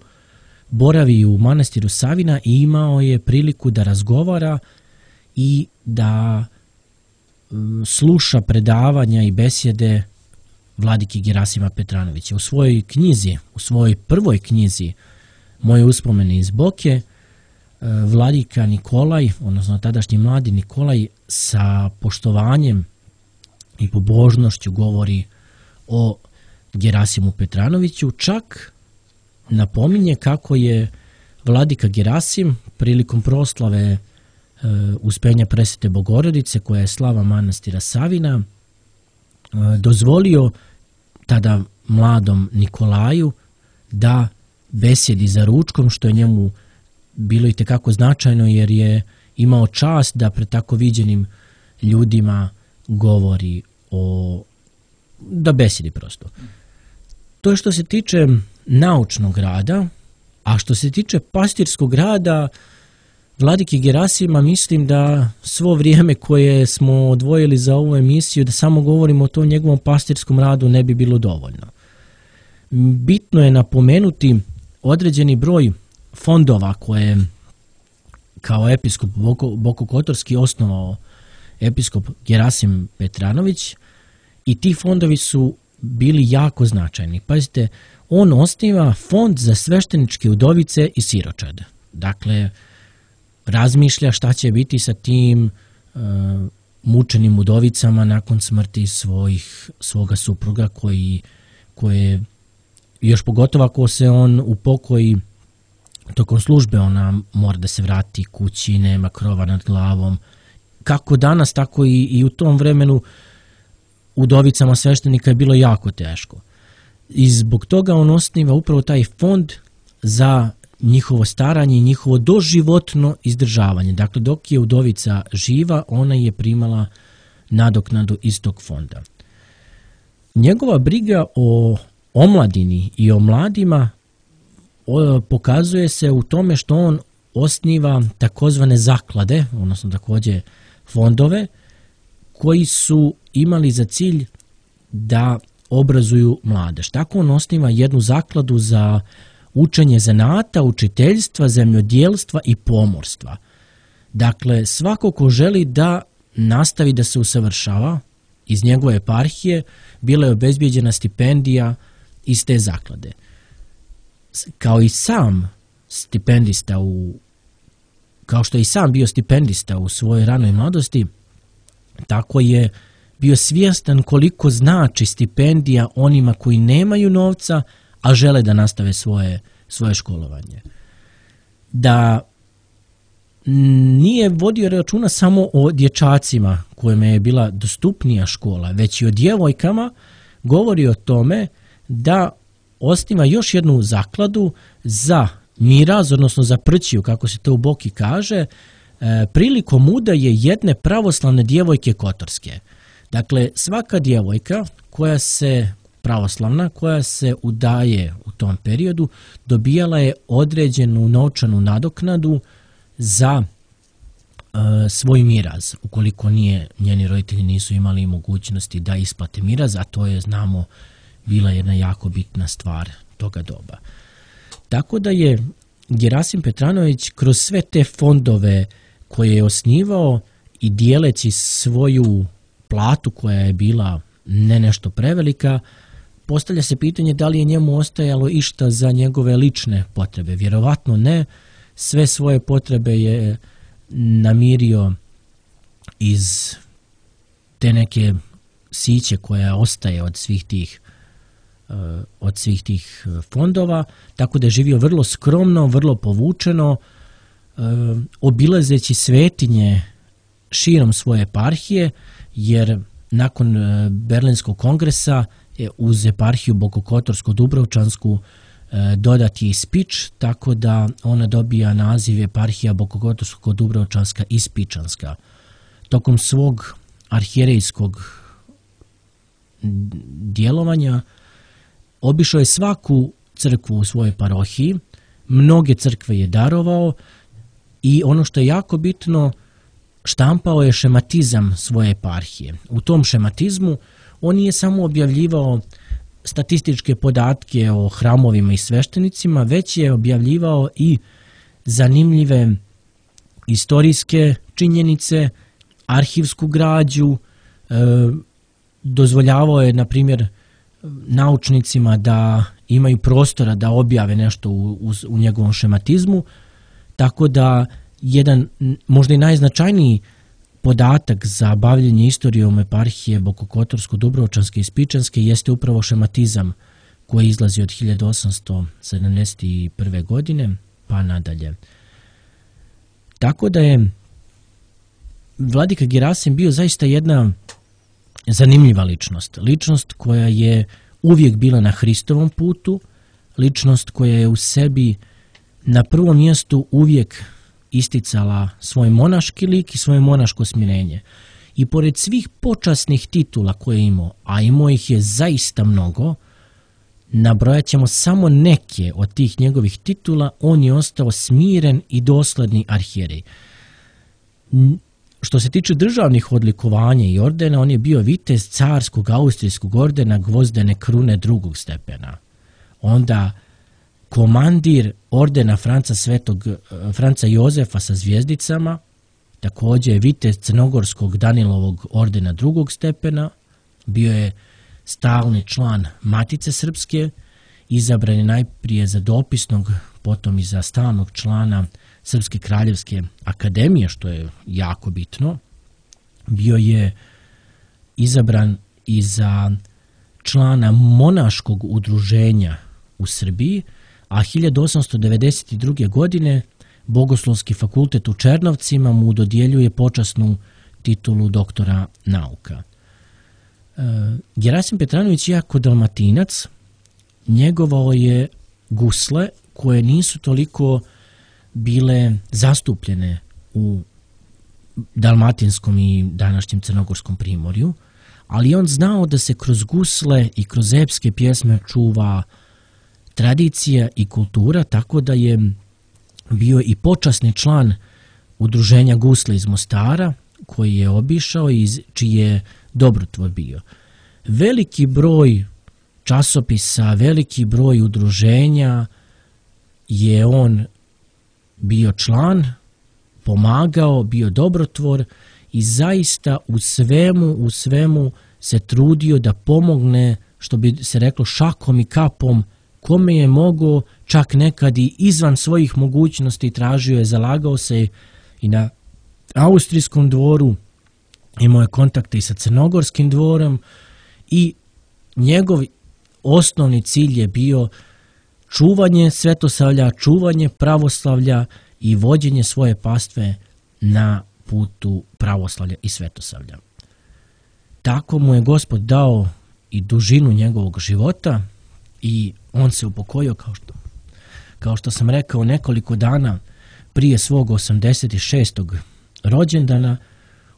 Speaker 2: boravi u manastiru Savina i imao je priliku da razgovara i da sluša predavanja i besjede vladike Gerasima Petranovića. U svojoj knjizi, u svojoj prvoj knjizi Moje uspomene iz Boke, vladika Nikolaj, odnosno tadašnji mladi Nikolaj, sa poštovanjem i pobožnošću govori o Gerasimu Petranoviću, čak napominje kako je vladika Gerasim prilikom proslave Uspenja Presvete Bogorodice, koja je slava manastira Savina, dozvolio tada mladom Nikolaju da besjedi za ručkom, što je njemu bilo itekako značajno, jer je imao čast da pred tako viđenim ljudima govori da besjedi prosto. To je što se tiče naučnog rada, a što se tiče pastirskog rada vladike Gerasima, mislim da svo vrijeme koje smo odvojili za ovu emisiju, da samo govorimo o tom njegovom pastirskom radu, ne bi bilo dovoljno. Bitno je napomenuti određeni broj fondova koje kao episkop Bokokotorski osnovao episkop Gerasim Petranović, i ti fondovi su bili jako značajni. Pazite, on osniva fond za svešteničke udovice i siročad. Dakle, razmišlja šta će biti sa tim mučenim udovicama nakon smrti svoga supruga, koje još pogotovo ako se on upokoji tokom službe, ona mora da se vrati kući, nema krova nad glavom. Kako danas, tako i u tom vremenu udovicama sveštenika je bilo jako teško. I zbog toga on osniva upravo taj fond za njihovo staranje i njihovo doživotno izdržavanje. Dakle, dok je udovica živa, ona je primala nadoknadu iz tog fonda. Njegova briga o omladini i o mladima pokazuje se u tome što on osniva takozvane zaklade, odnosno također fondove, koji su imali za cilj da obrazuju mladež. Tako on osniva jednu zakladu za učenje zanata, učiteljstva, zemljodjelstva i pomorstva. Dakle, svako ko želi da nastavi da se usavršava iz njegove eparhije, bila je obezbijeđena stipendija iz te zaklade. Kao i sam stipendista kao što je i sam bio stipendista u svojoj ranoj mladosti, tako je bio svjestan koliko znači stipendija onima koji nemaju novca, a žele da nastave svoje školovanje. Da nije vodio računa samo o dječacima kojima je bila dostupnija škola, već i o djevojkama. Govori o tome da osniva još jednu zakladu za miraz, odnosno za prćiju, kako se to u Boki kaže, prilikom udaje jedne pravoslavne djevojke kotorske. Dakle, svaka djevojka pravoslavna koja se udaje u tom periodu dobijala je određenu novčanu nadoknadu za svoj miraz, ukoliko njeni roditelji nisu imali mogućnosti da isplate miraz, a to je, znamo, bila jedna jako bitna stvar toga doba. Tako da je Gerasim Petranović kroz sve te fondove koje je osnivao i dijeleći svoju platu koja je bila ne nešto prevelika, postavlja se pitanje da li je njemu ostajalo išta za njegove lične potrebe. Vjerovatno ne, sve svoje potrebe je namirio iz te neke siće koja ostaje od svih tih fondova, tako da je živio vrlo skromno, vrlo povučeno, obilazeći svetinje širom svoje eparhije, jer nakon Berlinskog kongresa je uz eparhiju Bokokotorsko-Dubrovčansku dodat je i Spič, tako da ona dobija naziv eparhija Bokokotorsko-Dubrovčanska i Spičanska. Tokom svog arhijerejskog djelovanja obišao je svaku crkvu u svojoj parohiji, mnoge crkve je darovao i ono što je jako bitno, štampao je šematizam svoje eparhije. U tom šematizmu on nije samo objavljivao statističke podatke o hramovima i sveštenicima, već je objavljivao i zanimljive istorijske činjenice, arhivsku građu, dozvoljavao je, na primjer, naučnicima da imaju prostora da objave nešto u njegovom šematizmu, tako da jedan možda i najznačajniji podatak za bavljenje istorijom eparhije Bokokotorsko-Dubrovčanske i Spičanske jeste upravo šematizam koji izlazi od 1871. godine pa nadalje. Tako da je vladika Gerasim bio zaista jedna zanimljiva ličnost. Ličnost koja je uvijek bila na Hristovom putu, ličnost koja je u sebi na prvom mjestu uvijek isticala svoj monaški lik i svoje monaško smirenje. I pored svih počasnih titula koje je imao, a imao ih je zaista mnogo, nabrojat ćemo samo neke od tih njegovih titula, on je ostao smiren i dosledni arhijerej. Što se tiče državnih odlikovanja i ordena, on je bio vitez carskog austrijskog ordena Gvozdene krune drugog stepena. Onda komandir ordena Franca Jozefa sa zvijezdicama, također je vitez crnogorskog Danilovog ordena drugog stepena, bio je stalni član Matice Srpske, izabran je najprije za dopisnog, potom i za stalnog člana Srpske kraljevske akademije, što je jako bitno. Bio je izabran i za člana monaškog udruženja u Srbiji, a 1892. godine Bogoslovski fakultet u Černovcima mu dodjeljuje počasnu titulu doktora nauka. Gerasim Petranović, jako Dalmatinac, njegovao je gusle koje nisu toliko bile zastupljene u dalmatinskom i današnjem crnogorskom primorju, ali on znao da se kroz gusle i kroz epske pjesme čuva tradicija i kultura, tako da je bio i počasni član udruženja Gusle iz Mostara, koji je obišao i čiji je dobrotvor bio. Veliki broj časopisa, veliki broj udruženja je on bio član, pomagao, bio dobrotvor i zaista u svemu se trudio da pomogne, što bi se reklo, šakom i kapom, kome je mogao, čak nekad i izvan svojih mogućnosti tražio je, zalagao se i na austrijskom dvoru, imao je kontakte i sa crnogorskim dvorom i njegov osnovni cilj je bio čuvanje Svetosavlja, čuvanje pravoslavlja i vođenje svoje pastve na putu pravoslavlja i svetosavlja. Tako mu je Gospod dao i dužinu njegovog života i on se upokojio, kao što sam rekao, nekoliko dana prije svog 86. rođendana.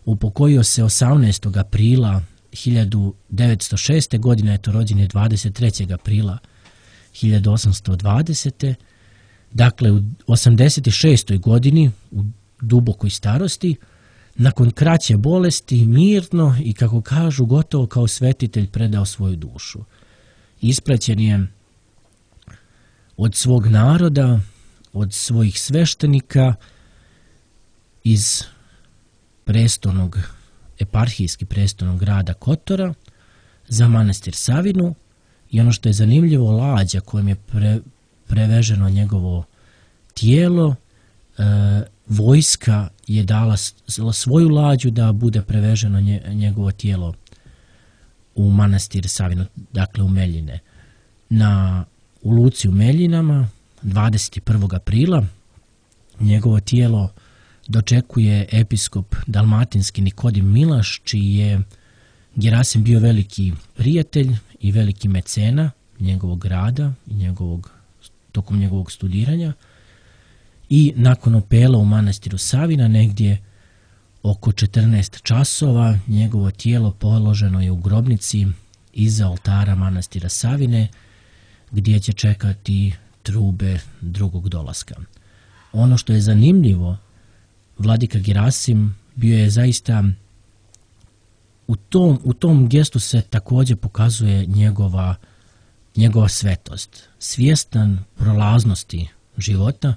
Speaker 2: Upokojio se 18. aprila 1906. godine, eto rođen je 23. aprila 1820. Dakle, u 86. godini, u dubokoj starosti, nakon kraće bolesti, mirno i, kako kažu, gotovo kao svetitelj predao svoju dušu. Ispraćen je od svog naroda, od svojih sveštenika iz eparhijski prestolnog grada Kotora za manastir Savinu, i ono što je zanimljivo, lađa kojom je preveženo njegovo tijelo, vojska je dala svoju lađu da bude preveženo njegovo tijelo u manastir Savinu, dakle u Meljine. U luci u Meljinama 21. aprila njegovo tijelo dočekuje episkop dalmatinski Nikodim Milaš, čiji je Gerasim bio veliki prijatelj i veliki mecena njegovog rada i tokom njegovog studiranja. I nakon opela u manastiru Savina, negdje oko 14 časova, njegovo tijelo položeno je u grobnici iza oltara manastira Savine, gdje će čekati trube drugog dolaska. Ono što je zanimljivo, vladika Gerasim bio je zaista, u tom gestu se također pokazuje njegova svetost. Svjestan prolaznosti života,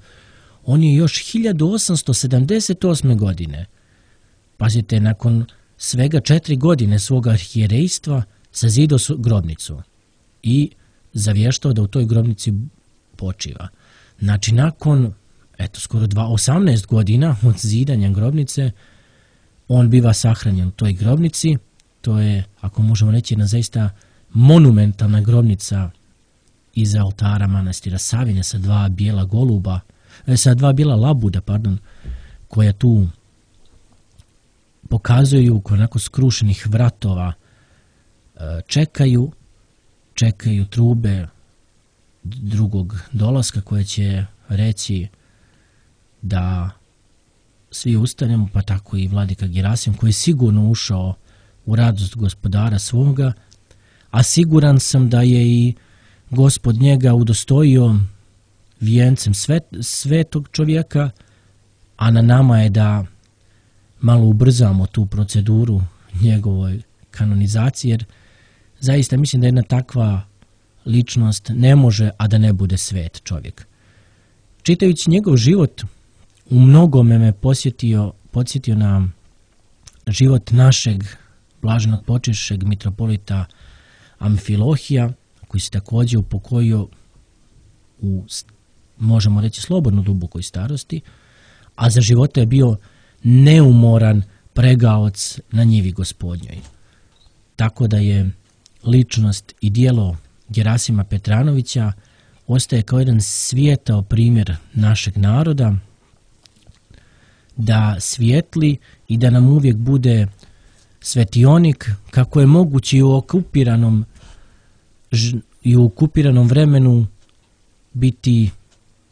Speaker 2: on je još 1878. godine, pazite, nakon svega 4 godine svoga arhijerejstva, sazidao grobnicu i zavještao da u toj grobnici počiva. Znači, nakon skoro 18 godina od zidanja grobnice, on biva sahranjen u toj grobnici. To je, ako možemo reći, jedna zaista monumentalna grobnica iza oltara manastira Savine sa dva bijela labuda, koja tu pokazuju onako skrušenih vratova, čekaju trube drugog dolaska, koje će reći da svi ustanemo, pa tako i vladika Gerasim, koji je sigurno ušao u radost gospodara svoga, a siguran sam da je i Gospod njega udostojio vijencem svetog čovjeka, a na nama je da malo ubrzamo tu proceduru njegovoj kanonizacije, jer zaista mislim da jedna takva ličnost ne može, a da ne bude svet čovjek. Čitajući njegov život, u mnogome me podsjetio na život našeg blaženog počešćeg mitropolita Amfilohija, koji se također upokojio u, možemo reći, slobodno dubokoj starosti, a za života je bio neumoran pregaoc na njivi Gospodnjoj. Tako da je ličnost i djelo Gerasima Petranovića ostaje kao jedan svijetao primjer našeg naroda, da svijetli i da nam uvijek bude svetionik, kako je moguće i u okupiranom vremenu biti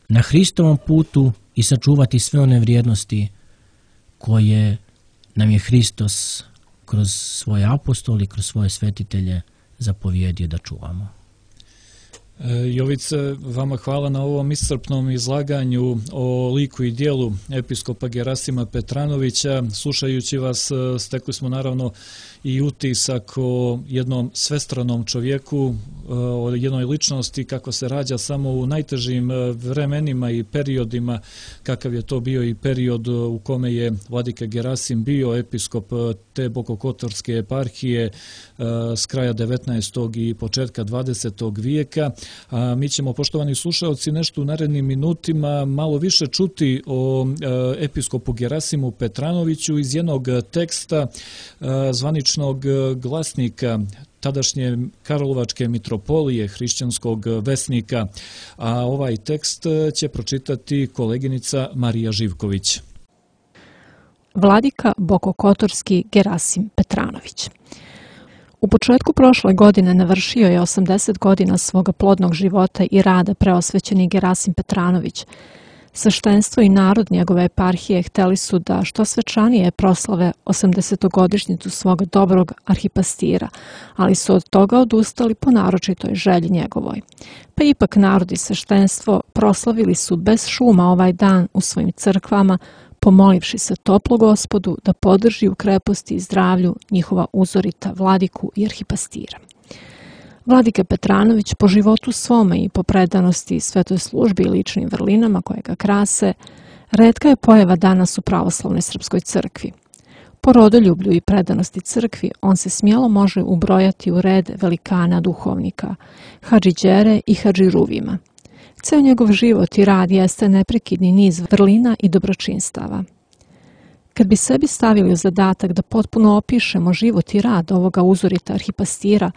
Speaker 2: na Hristovom putu i sačuvati sve one vrijednosti koje nam je Hristos kroz svoje apostole i kroz svoje svetitelje zapovjedio da čuvamo.
Speaker 1: Jovice, vama hvala na ovom iscrpnom izlaganju o liku i dijelu episkopa Gerasima Petranovića. Slušajući vas, stekli smo naravno i utisak o jednom svestranom čovjeku, o jednoj ličnosti kako se rađa samo u najtežim vremenima i periodima, kakav je to bio i period u kome je vladika Gerasim bio episkop te Bokokotorske eparhije s kraja 19. i početka 20. vijeka. A mi ćemo, poštovani slušalci, nešto u narednim minutima malo više čuti o episkopu Gerasimu Petranoviću iz jednog teksta zvaničnog glasnika tadašnje Karlovačke mitropolije, hrišćanskog vesnika, a ovaj tekst će pročitati koleginica Marija Živković.
Speaker 3: Vladika Bokokotorski Gerasim Petranović. U početku prošle godine navršio je 80 godina svoga plodnog života i rada preosvećeni Gerasim Petranović. Sveštenstvo i narod njegove eparhije hteli su da što svečanije proslave 80-godišnjicu svoga dobrog arhipastira, ali su od toga odustali po naročitoj želji njegovoj. Pa ipak narod i sveštenstvo proslavili su bez šuma ovaj dan u svojim crkvama, pomolivši se toplo Gospodu da podrži u kreposti i zdravlju njihova uzorita vladiku i arhipastira. Vladika Petranović po životu svome i po predanosti svetoj službi i ličnim vrlinama koje ga krase, retka je pojava danas u pravoslavnoj srpskoj crkvi. Po rodoljublju i predanosti crkvi on se smjelo može ubrojati u red velikana duhovnika, hadžiđere i hadžiruvima. Ceo njegov život i rad jeste neprekidni niz vrlina i dobročinstava. Kad bi sebi stavili u zadatak da potpuno opišemo život i rad ovoga uzorita arhipastira,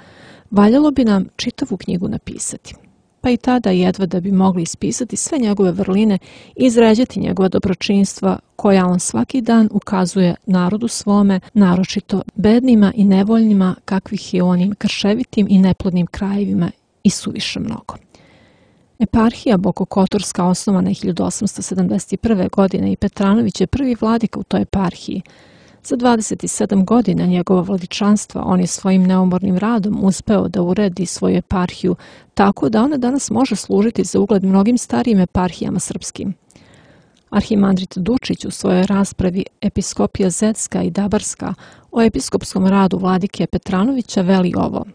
Speaker 3: valjalo bi nam čitavu knjigu napisati. Pa i tada jedva da bi mogli ispisati sve njegove vrline i izređati njegova dobročinstva koja on svaki dan ukazuje narodu svome, naročito bednima i nevoljnima kakvih je u onim krševitim i neplodnim krajevima i suviše mnogo. Eparhija Bokokotorska osnovana je 1871. godine i Petranović je prvi vladika u toj eparhiji. Za 27 godina njegova vladičanstva on je svojim neumornim radom uspeo da uredi svoju eparhiju tako da ona danas može služiti za ugled mnogim starijim eparhijama srpskim. Arhimandrit Dučić u svojoj raspravi Episkopija Zetska i Dabarska o episkopskom radu vladike Petranovića veli ovo.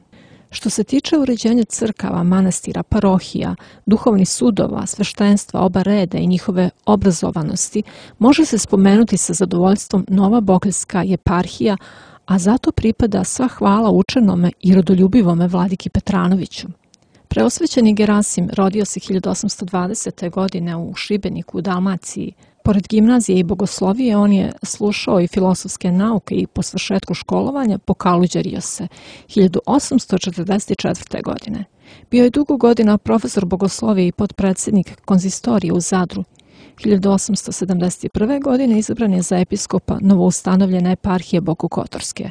Speaker 3: Što se tiče uređenja crkava, manastira, parohija, duhovnih sudova, sveštenstva, oba reda i njihove obrazovanosti, može se spomenuti sa zadovoljstvom Nova Bokeljska eparhija, a zato pripada sva hvala učenome i rodoljubivome vladiki Petranoviću. Preosvećeni Gerasim rodio se 1820. godine u Šibeniku u Dalmaciji. Pored gimnazije i bogoslovije, on je slušao i filosofske nauke i po svršetku školovanja pokaluđerio se 1844. godine. Bio je dugo godina profesor bogoslovije i potpredsjednik konzistorije u Zadru. 1871. godine izabran je za episkopa novoustanovljene eparhije Bokokotorske.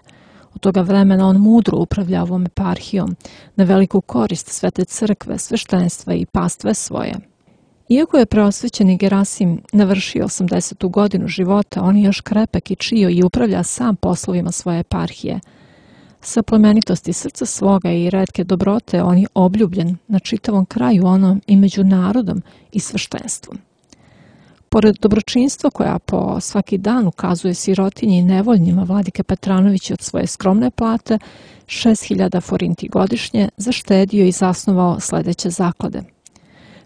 Speaker 3: Od toga vremena on mudro upravlja ovom eparhijom na veliku korist Svete crkve, sveštenstva i pastve svoje. Iako je preosvećeni Gerasim navršio 80. godinu života, on je još krepek i čio i upravlja sam poslovima svoje eparhije. Sa plemenitosti srca svoga i retke dobrote on je obljubljen na čitavom kraju onom i među narodom i sveštenstvom. Pored dobročinstva koja po svaki dan ukazuje sirotinji i nevoljnima vladike Petranović od svoje skromne plate, 6.000 forinti godišnje, zaštedio i zasnovao sledeće zaklade.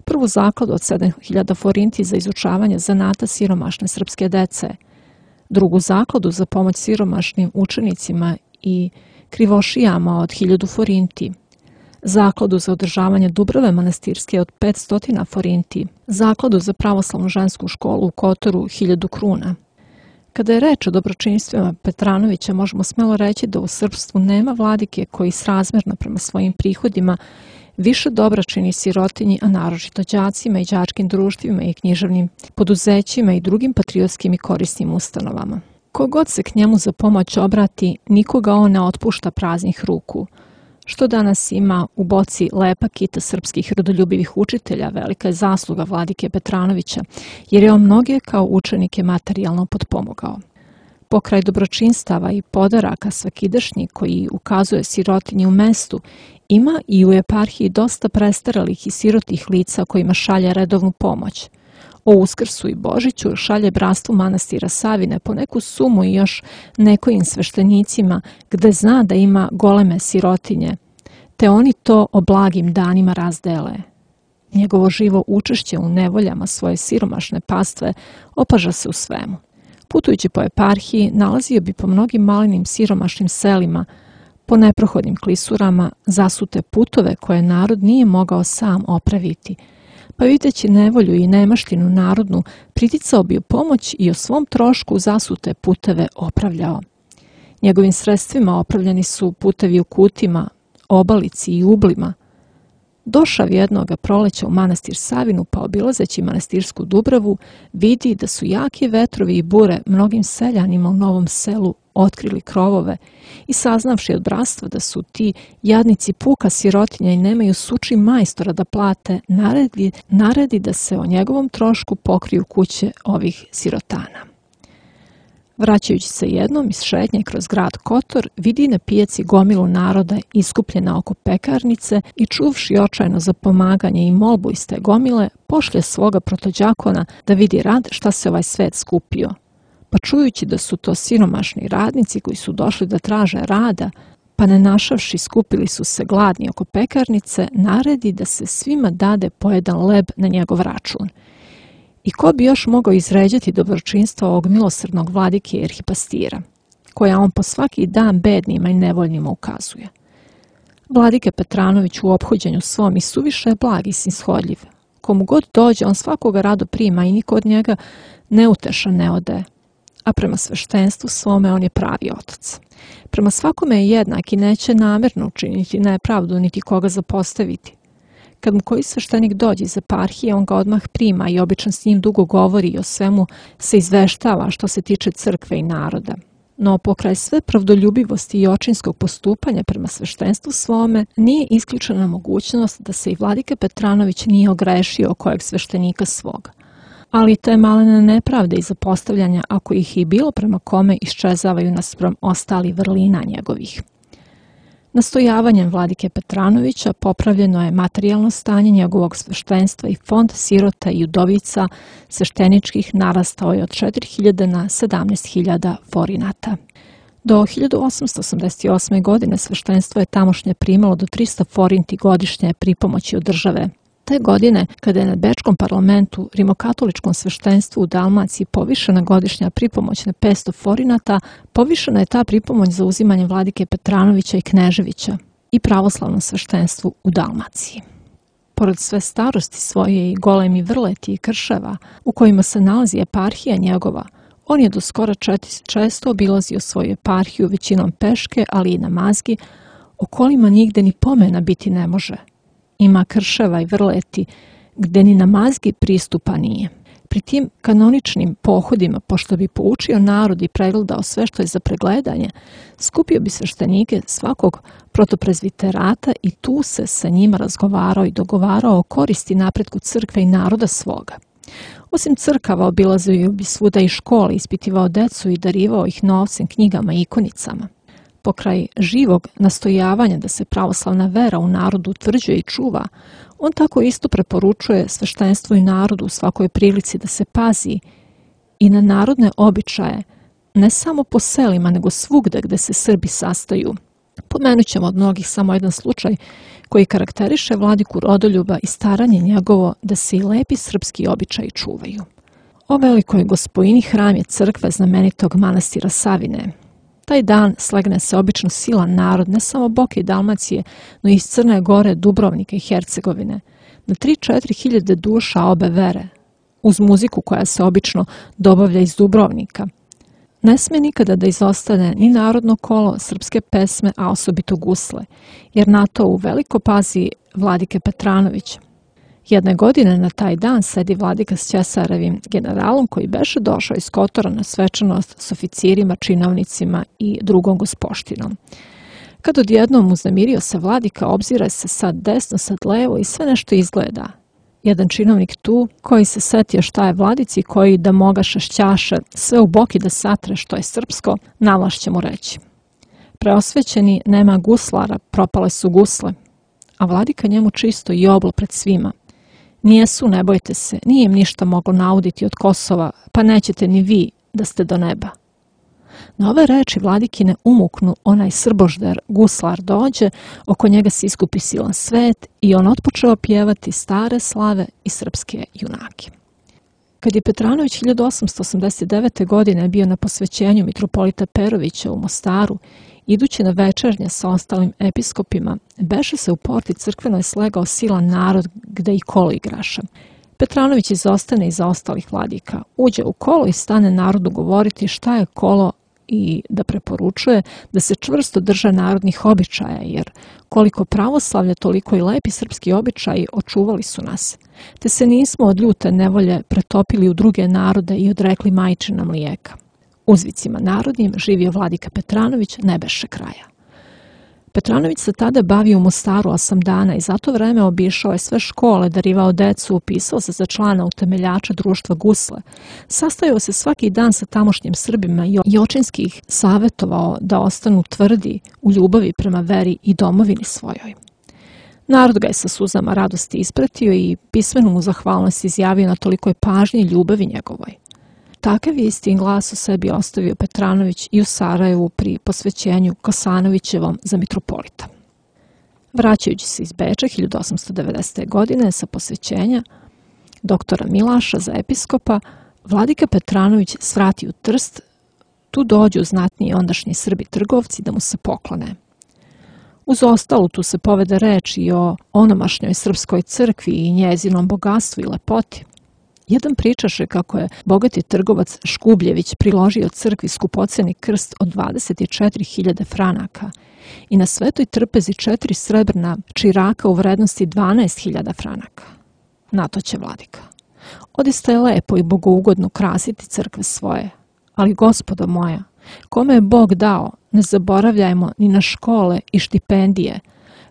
Speaker 3: Prvu zakladu od 7.000 forinti za izučavanje zanata siromašne srpske dece, drugu zakladu za pomoć siromašnim učenicima i krivošijama od 1.000 forinti, zakladu za održavanje Dubrave manastirske od 500 forinti, zakladu za pravoslavnu žensku školu u Kotoru 1.000 kruna. Kada je reč o dobročinstvima Petranovića, možemo smelo reći da u srpstvu nema vladike koji srazmerno prema svojim prihodima više dobra čini sirotinji, a naročito đacima i đačkim društvima i književnim poduzećima i drugim patriotskim i korisnim ustanovama. Kogod se k njemu za pomoć obrati, nikoga on ne otpušta praznih ruku. Što danas ima u boci lepa kita srpskih rodoljubivih učitelja, velika je zasluga vladike Petranovića, jer je on mnoge kao učenike materijalno potpomogao. Pokraj dobročinstava i podaraka svakidašnji koji ukazuje sirotinji u mestu, ima i u eparhiji dosta prestaralih i sirotih lica kojima šalje redovnu pomoć. O Uskrsu i Božiću šalje bratstvu manastira Savine po neku sumu i još nekojim sveštenicima gde zna da ima goleme sirotinje, te oni to o blagim danima razdele. Njegovo živo učešće u nevoljama svoje siromašne pastve opaža se u svemu. Putujući po eparhiji, nalazio bi po mnogim malenim siromašnim selima, po neprohodnim klisurama, zasute putove koje narod nije mogao sam opraviti, pa videći nevolju i nemaštinu narodnu, priticao bi u pomoć i o svom trošku zasute puteve opravljao. Njegovim sredstvima opravljeni su putevi u Kutima, Obalici i Ublima, došav jednoga proleća u manastir Savinu, pa obilazeći manastirsku Dubravu, vidi da su jaki vetrovi i bure mnogim seljanima u Novom Selu otkrili krovove i saznavši od bratstva da su ti jadnici puka sirotinja i nemaju suči majstora da plate, naredi da se o njegovom trošku pokriju kuće ovih sirotana. Vraćajući se jednom iz šetnje kroz grad Kotor, vidi na pijaci gomilu naroda iskupljena oko pekarnice i čuvši očajno za pomaganje i molbu iz te gomile, pošlje svoga protođakona da vidi rad šta se ovaj svet skupio. Pa čujući da su to siromašni radnici koji su došli da traže rada, pa ne našavši skupili su se gladni oko pekarnice, naredi da se svima dade po jedan leb na njegov račun. I ko bi još mogao izređati dobročinstvo ovog milosrdnog vladike i arhipastira, koja on po svaki dan bednima i nevoljnima ukazuje. Vladike Petranović u ophođenju svom i suviše je blag i snishodljiv. Komu god dođe, on svakoga rado prima i niko od njega neutešan ne ode. A prema sveštenstvu svome on je pravi otac. Prema svakome je jednak i neće namerno učiniti nepravdu niti koga zapostaviti. Kad mu koji sveštenik dođe iz eparhije, on ga odmah prima i obično s njim dugo govori i o svemu se izveštava što se tiče crkve i naroda. No pokraj sve pravdoljubivosti i očinskog postupanja prema sveštenstvu svome, nije isključena mogućnost da se i vladike Petranović nije ogrešio o kojeg sveštenika svoga. Ali te malene nepravde i zapostavljanja, ako ih i bilo prema kome, iščezavaju naspram ostali vrlina njegovih. Nastojavanjem vladike Petranovića popravljeno je materijalno stanje njegovog sveštenstva i fond sirota i udovica svešteničkih narastao je od 4.000 na 17.000 forinata. Do 1888. godine sveštenstvo je tamošnje primalo do 300 forinti godišnje pripomoći od države. Te godine, kada je na Bečkom parlamentu rimokatoličkom sveštenstvu u Dalmaciji povišena godišnja pripomoć na 500 forinata, povišena je ta pripomoć za uzimanje vladike Petranovića i Kneževića i pravoslavnom sveštenstvu u Dalmaciji. Pored sve starosti svoje i golemi vrleti i krševa u kojima se nalazi eparhija njegova, on je do skora često obilazio svoju eparhiju većinom peške, ali i na mazgi, o kolima nigde ni pomena biti ne može. Ima krševa i vrleti gde ni na mazgi pristupa nije. Pri tim kanoničnim pohodima, pošto bi poučio narod i pregledao sve što je za pregledanje, skupio bi sveštenike svakog protoprezviterata i tu se sa njima razgovarao i dogovarao o koristi napretku crkve i naroda svoga. Osim crkava, obilazio bi svuda i škole, ispitivao decu i darivao ih novcem, knjigama i ikonicama. Pokraj živog nastojavanja da se pravoslavna vera u narodu utvrđuje i čuva, on tako isto preporučuje sveštenstvu i narodu u svakoj prilici da se pazi i na narodne običaje, ne samo po selima, nego svugde gde se Srbi sastaju. Pomenut ćemo od mnogih samo jedan slučaj koji karakteriše vladiku Rodoljuba i staranje njegovo da se i lepi srpski običaji čuvaju. O velikoj gospojini hram je crkve znamenitog manastira Savine. Taj dan slegne se obično silan narod, ne samo Boke i Dalmacije, no i iz Crne Gore, Dubrovnika i Hercegovine, na 3-4 hiljade duša obe vere, uz muziku koja se obično dobavlja iz Dubrovnika. Ne sme nikada da izostane ni narodno kolo, srpske pesme, a osobito gusle, jer na to u veliko pazi vladike Petranović. Jedne godine na taj dan sedi vladika s Ćesarevim generalom koji beše došao iz Kotora na svečanost s oficirima, činovnicima i drugom gospoštinom. Kad odjednom uznemirio se vladika, obzira se sad desno, sad levo i sve nešto izgleda. Jedan činovnik tu, koji se setio šta je vladici, koji da moga šašćaše sve u boki da satre što je srpsko, navlaš će mu reći. Preosvećeni, nema guslara, propale su gusle, a vladika njemu čisto i oblo pred svima. Nijesu, ne bojte se, nije im ništa moglo nauditi od Kosova, pa nećete ni vi da ste do neba. Na ove reči vladikine umuknu onaj srbožder, guslar dođe, oko njega se iskupi silan svet i on otpočeo pjevati stare slave i srpske junake. Kad je Petranović 1889. godine bio na posvećenju mitropolita Perovića u Mostaru, idući na večernje sa ostalim episkopima, beše se u porti crkvenoj slegao silan narod gde i kolo igraša. Petranović izostane iza ostalih vladika, uđe u kolo i stane narodu govoriti šta je kolo i da preporučuje da se čvrsto drže narodnih običaja, jer koliko pravoslavlje, toliko i lepi srpski običaji očuvali su nas, te se nismo od ljute nevolje pretopili u druge narode i odrekli majčina mlijeka. Uzvicima narodnim živio vladika Petranović, ne beše kraja. Petranović se tada bavio u Mostaru 8 dana i za to vreme obišao je sve škole, darivao decu, upisao se za člana utemeljača društva Gusle. Sastajao se svaki dan sa tamošnjim Srbima i očinski ih savjetovao da ostanu tvrdi u ljubavi prema veri i domovini svojoj. Narod ga je sa suzama radosti ispratio i pismenu mu zahvalnost izjavio na tolikoj pažnji i ljubavi njegovoj. Takav je istin glas o sebi ostavio Petranović i u Sarajevu pri posvećenju Kosanovićevom za mitropolita. Vraćajući se iz Beča 1890. godine sa posvećenja doktora Milaša za episkopa, vladika Petranović svrati u Trst, tu dođu znatniji ondašnji Srbi trgovci da mu se poklone. Uz ostalu tu se povede reč i o onomašnjoj srpskoj crkvi i njezinom bogatstvu i lepoti. Jedan pričaše kako je bogati trgovac Škubljević priložio crkvi skupoceni krst od 24.000 franaka i na Svetoj trpezi 4 srebrna čiraka u vrednosti 12.000 franaka. Na to će vladika: odista je lepo i bogougodno krasiti crkve svoje, ali gospodo moja, kome je Bog dao, ne zaboravljajmo ni na škole i štipendije,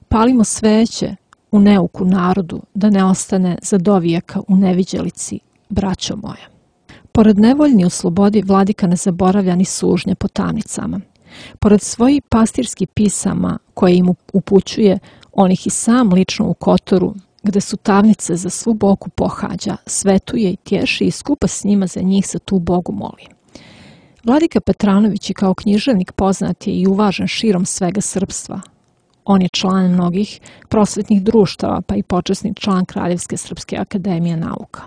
Speaker 3: palimo sveće u neuku narodu, da ne ostane za dovijeka u neviđelici, braćo moja. Pored nevoljni u slobodi, vladika ne zaboravlja ni sužnje po tamnicama. Pored svojih pastirskih pisama koje im upućuje, on ih i sam lično u Kotoru, gde su tamnice za svu boku pohađa, svetuje i tješi i skupa s njima za njih se tu Bogu moli. Vladika Petranović i kao književnik poznat je i uvažen širom svega srpstva. On je član mnogih prosvetnih društava, pa i počasni član Kraljevske srpske akademije nauka.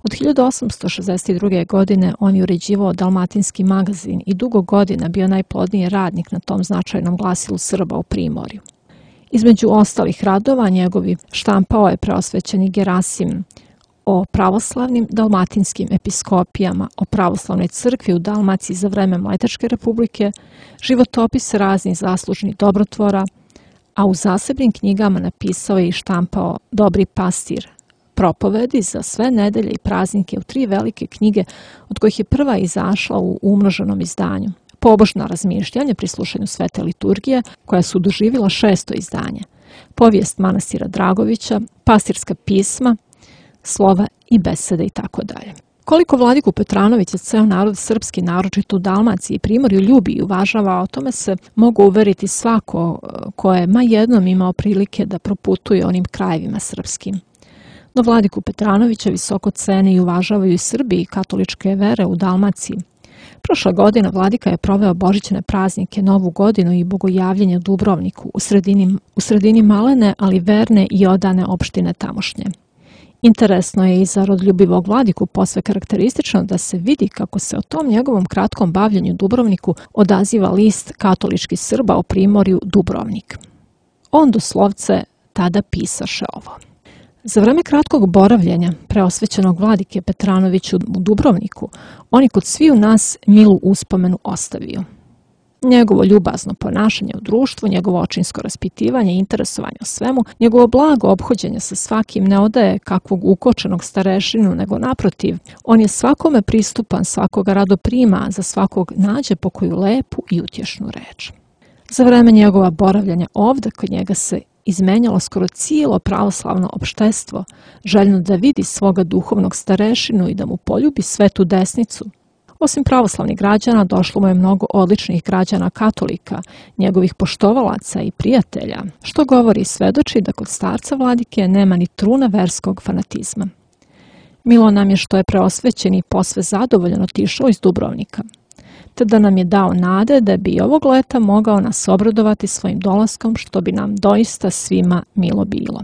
Speaker 3: Od 1862. godine on je uređivao Dalmatinski magazin i dugo godina bio najplodniji radnik na tom značajnom glasilu Srba u Primorju. Između ostalih radova njegovi štampao je preosvećeni Gerasim o pravoslavnim dalmatinskim episkopijama, o pravoslavnoj crkvi u Dalmaciji za vreme Mletačke republike, životopis raznih zaslužnih dobrotvora, a u zasebnim knjigama napisao je i štampao Dobri pastir, propovedi za sve nedelje i praznike u 3 velike knjige, od kojih je prva izašla u umnoženom izdanju. Pobožna razmišljanja pri slušanju svete liturgije, koja su doživjela 6. izdanje, povijest manastira Dragovića, pastirska pisma, slova i besede i tako dalje. Koliko vladiku Petranovića ceo narod srpski, naročito u Dalmaciji i Primorju, ljubi i uvažava, o tome se mogu uveriti svako ko je ma jednom imao prilike da proputuje onim krajevima srpskim. No vladiku Petranovića visoko cene i uvažavaju i Srbi i katoličke vere u Dalmaciji. Prošla godina vladika je proveo božićne praznike, Novu godinu i bogojavljenje u Dubrovniku, u sredini malene, ali verne i odane opštine tamošnje. Interesno je i za rodljubivog vladiku posve karakteristično da se vidi kako se o tom njegovom kratkom bavljenju u Dubrovniku odaziva list katoličkih Srba o Primorju Dubrovnik. On doslovce tada pisaše ovo: za vreme kratkog boravljenja preosvećenog vladike Petranovića u Dubrovniku, on je kod sviju nas milu uspomenu ostavio. Njegovo ljubazno ponašanje u društvu, njegovo očinsko raspitivanje i interesovanje o svemu, njegovo blago ophođenje sa svakim ne odaje kakvog ukočenog starešinu, nego naprotiv, on je svakome pristupan, svakoga rado prima, za svakog nađe po koju lepu i utješnu reč. Za vreme njegova boravljanja ovde kod njega se izmenjalo skoro cijelo pravoslavno opštestvo, željno da vidi svoga duhovnog starešinu i da mu poljubi svetu desnicu. Osim pravoslavnih građana, došlo mu je mnogo odličnih građana katolika, njegovih poštovalaca i prijatelja, što govori i svedoči da kod starca vladike nema ni truna verskog fanatizma. Milo nam je što je preosvećen i posve zadovoljan otišao iz Dubrovnika, te da nam je dao nade da bi ovog leta mogao nas obradovati svojim dolaskom, što bi nam doista svima milo bilo.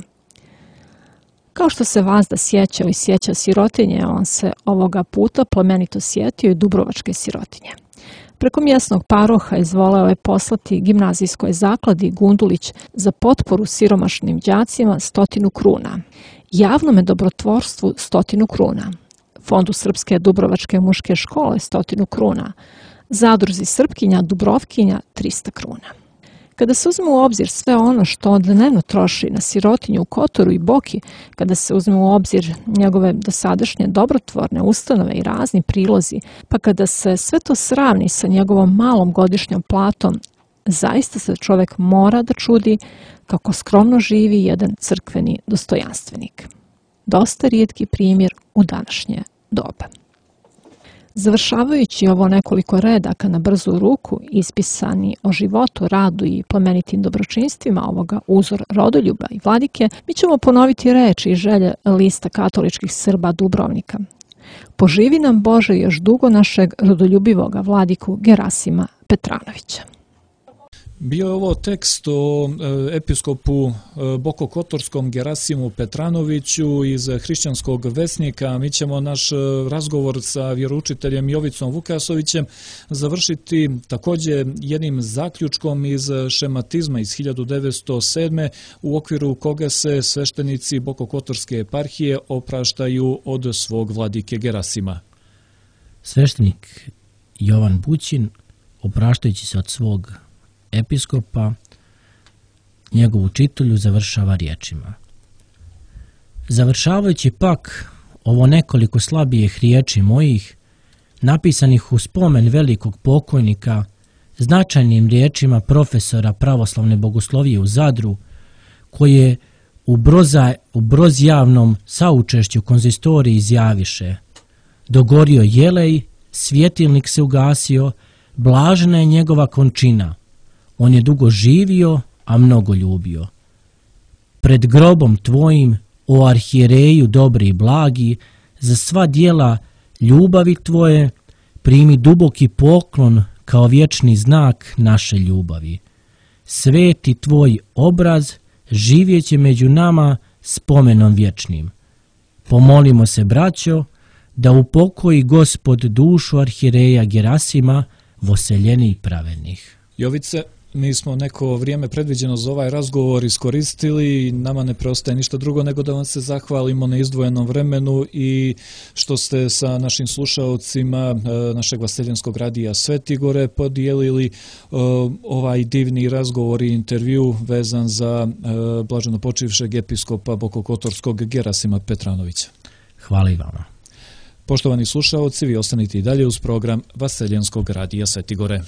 Speaker 3: Kao što se Vazda sjećao i sjeća sirotinje, on se ovoga puta plemenito sjetio i dubrovačke sirotinje. Preko mjesnog paroha izvoleo je poslati gimnazijskoj zakladi Gundulić za potporu siromašnim đacima 100 kruna, javnome dobrotvorstvu 100 kruna, Fondu Srpske Dubrovačke muške škole 100 kruna, Zadruzi Srpkinja Dubrovkinja 300 kruna. Kada se uzme u obzir sve ono što on dnevno troši na sirotinju u Kotoru i Boki, kada se uzme u obzir njegove dosadašnje dobrotvorne ustanove i razni prilozi, pa kada se sve to sravni sa njegovom malom godišnjom platom, zaista se čovjek mora da čudi kako skromno živi jedan crkveni dostojanstvenik. Dosta rijetki primjer u današnje doba. Završavajući ovo nekoliko redaka na brzu ruku, ispisani o životu, radu i plemenitim dobročinstvima ovoga uzor rodoljuba i vladike, mi ćemo ponoviti reči i želje lista katoličkih Srba Dubrovnika. Poživi nam Bože još dugo našeg rodoljubivoga vladiku Gerasima Petranovića.
Speaker 1: Bio je ovo tekst o episkopu Bokokotorskom Gerasimu Petranoviću iz Hrišćanskog vesnika. Mi ćemo naš razgovor sa vjeroučiteljem Jovicom Vukasovićem završiti također jednim zaključkom iz šematizma iz 1907. u okviru koga se sveštenici Bokokotorske eparhije opraštaju od svog vladike Gerasima.
Speaker 2: Sveštenik Jovan Bućin, opraštajući se od svog episkopa, njegovu čitulju završava riječima. Završavajući pak ovo nekoliko slabijih riječi mojih, napisanih u spomen velikog pokojnika, značajnim riječima profesora pravoslavne bogoslovije u Zadru, koje u brozjavnom saučešću konzistoriji izjaviše: dogorio jelej, svjetilnik se ugasio, blažena je njegova končina. On je dugo živio, a mnogo ljubio. Pred grobom tvojim, o arhijereju dobri i blagi, za sva dijela ljubavi tvoje, primi duboki poklon kao vječni znak naše ljubavi. Sveti tvoj obraz živjeće među nama spomenom vječnim. Pomolimo se, braćo, da upokoji Gospod dušu arhijereja Gerasima, voseljenih i pravednih.
Speaker 1: Jovice, mi smo neko vrijeme predviđeno za ovaj razgovor iskoristili i nama ne preostaje ništa drugo nego da vam se zahvalimo na izdvojenom vremenu i što ste sa našim slušaocima našeg Vaseljenskog radija Svetigore podijelili ovaj divni razgovor i intervju vezan za blaženo počivšeg episkopa Bokokotorskog Gerasima Petranovića.
Speaker 2: Hvala i vama.
Speaker 1: Poštovani slušaoci, vi ostanite i dalje uz program Vaseljenskog radija Svetigore.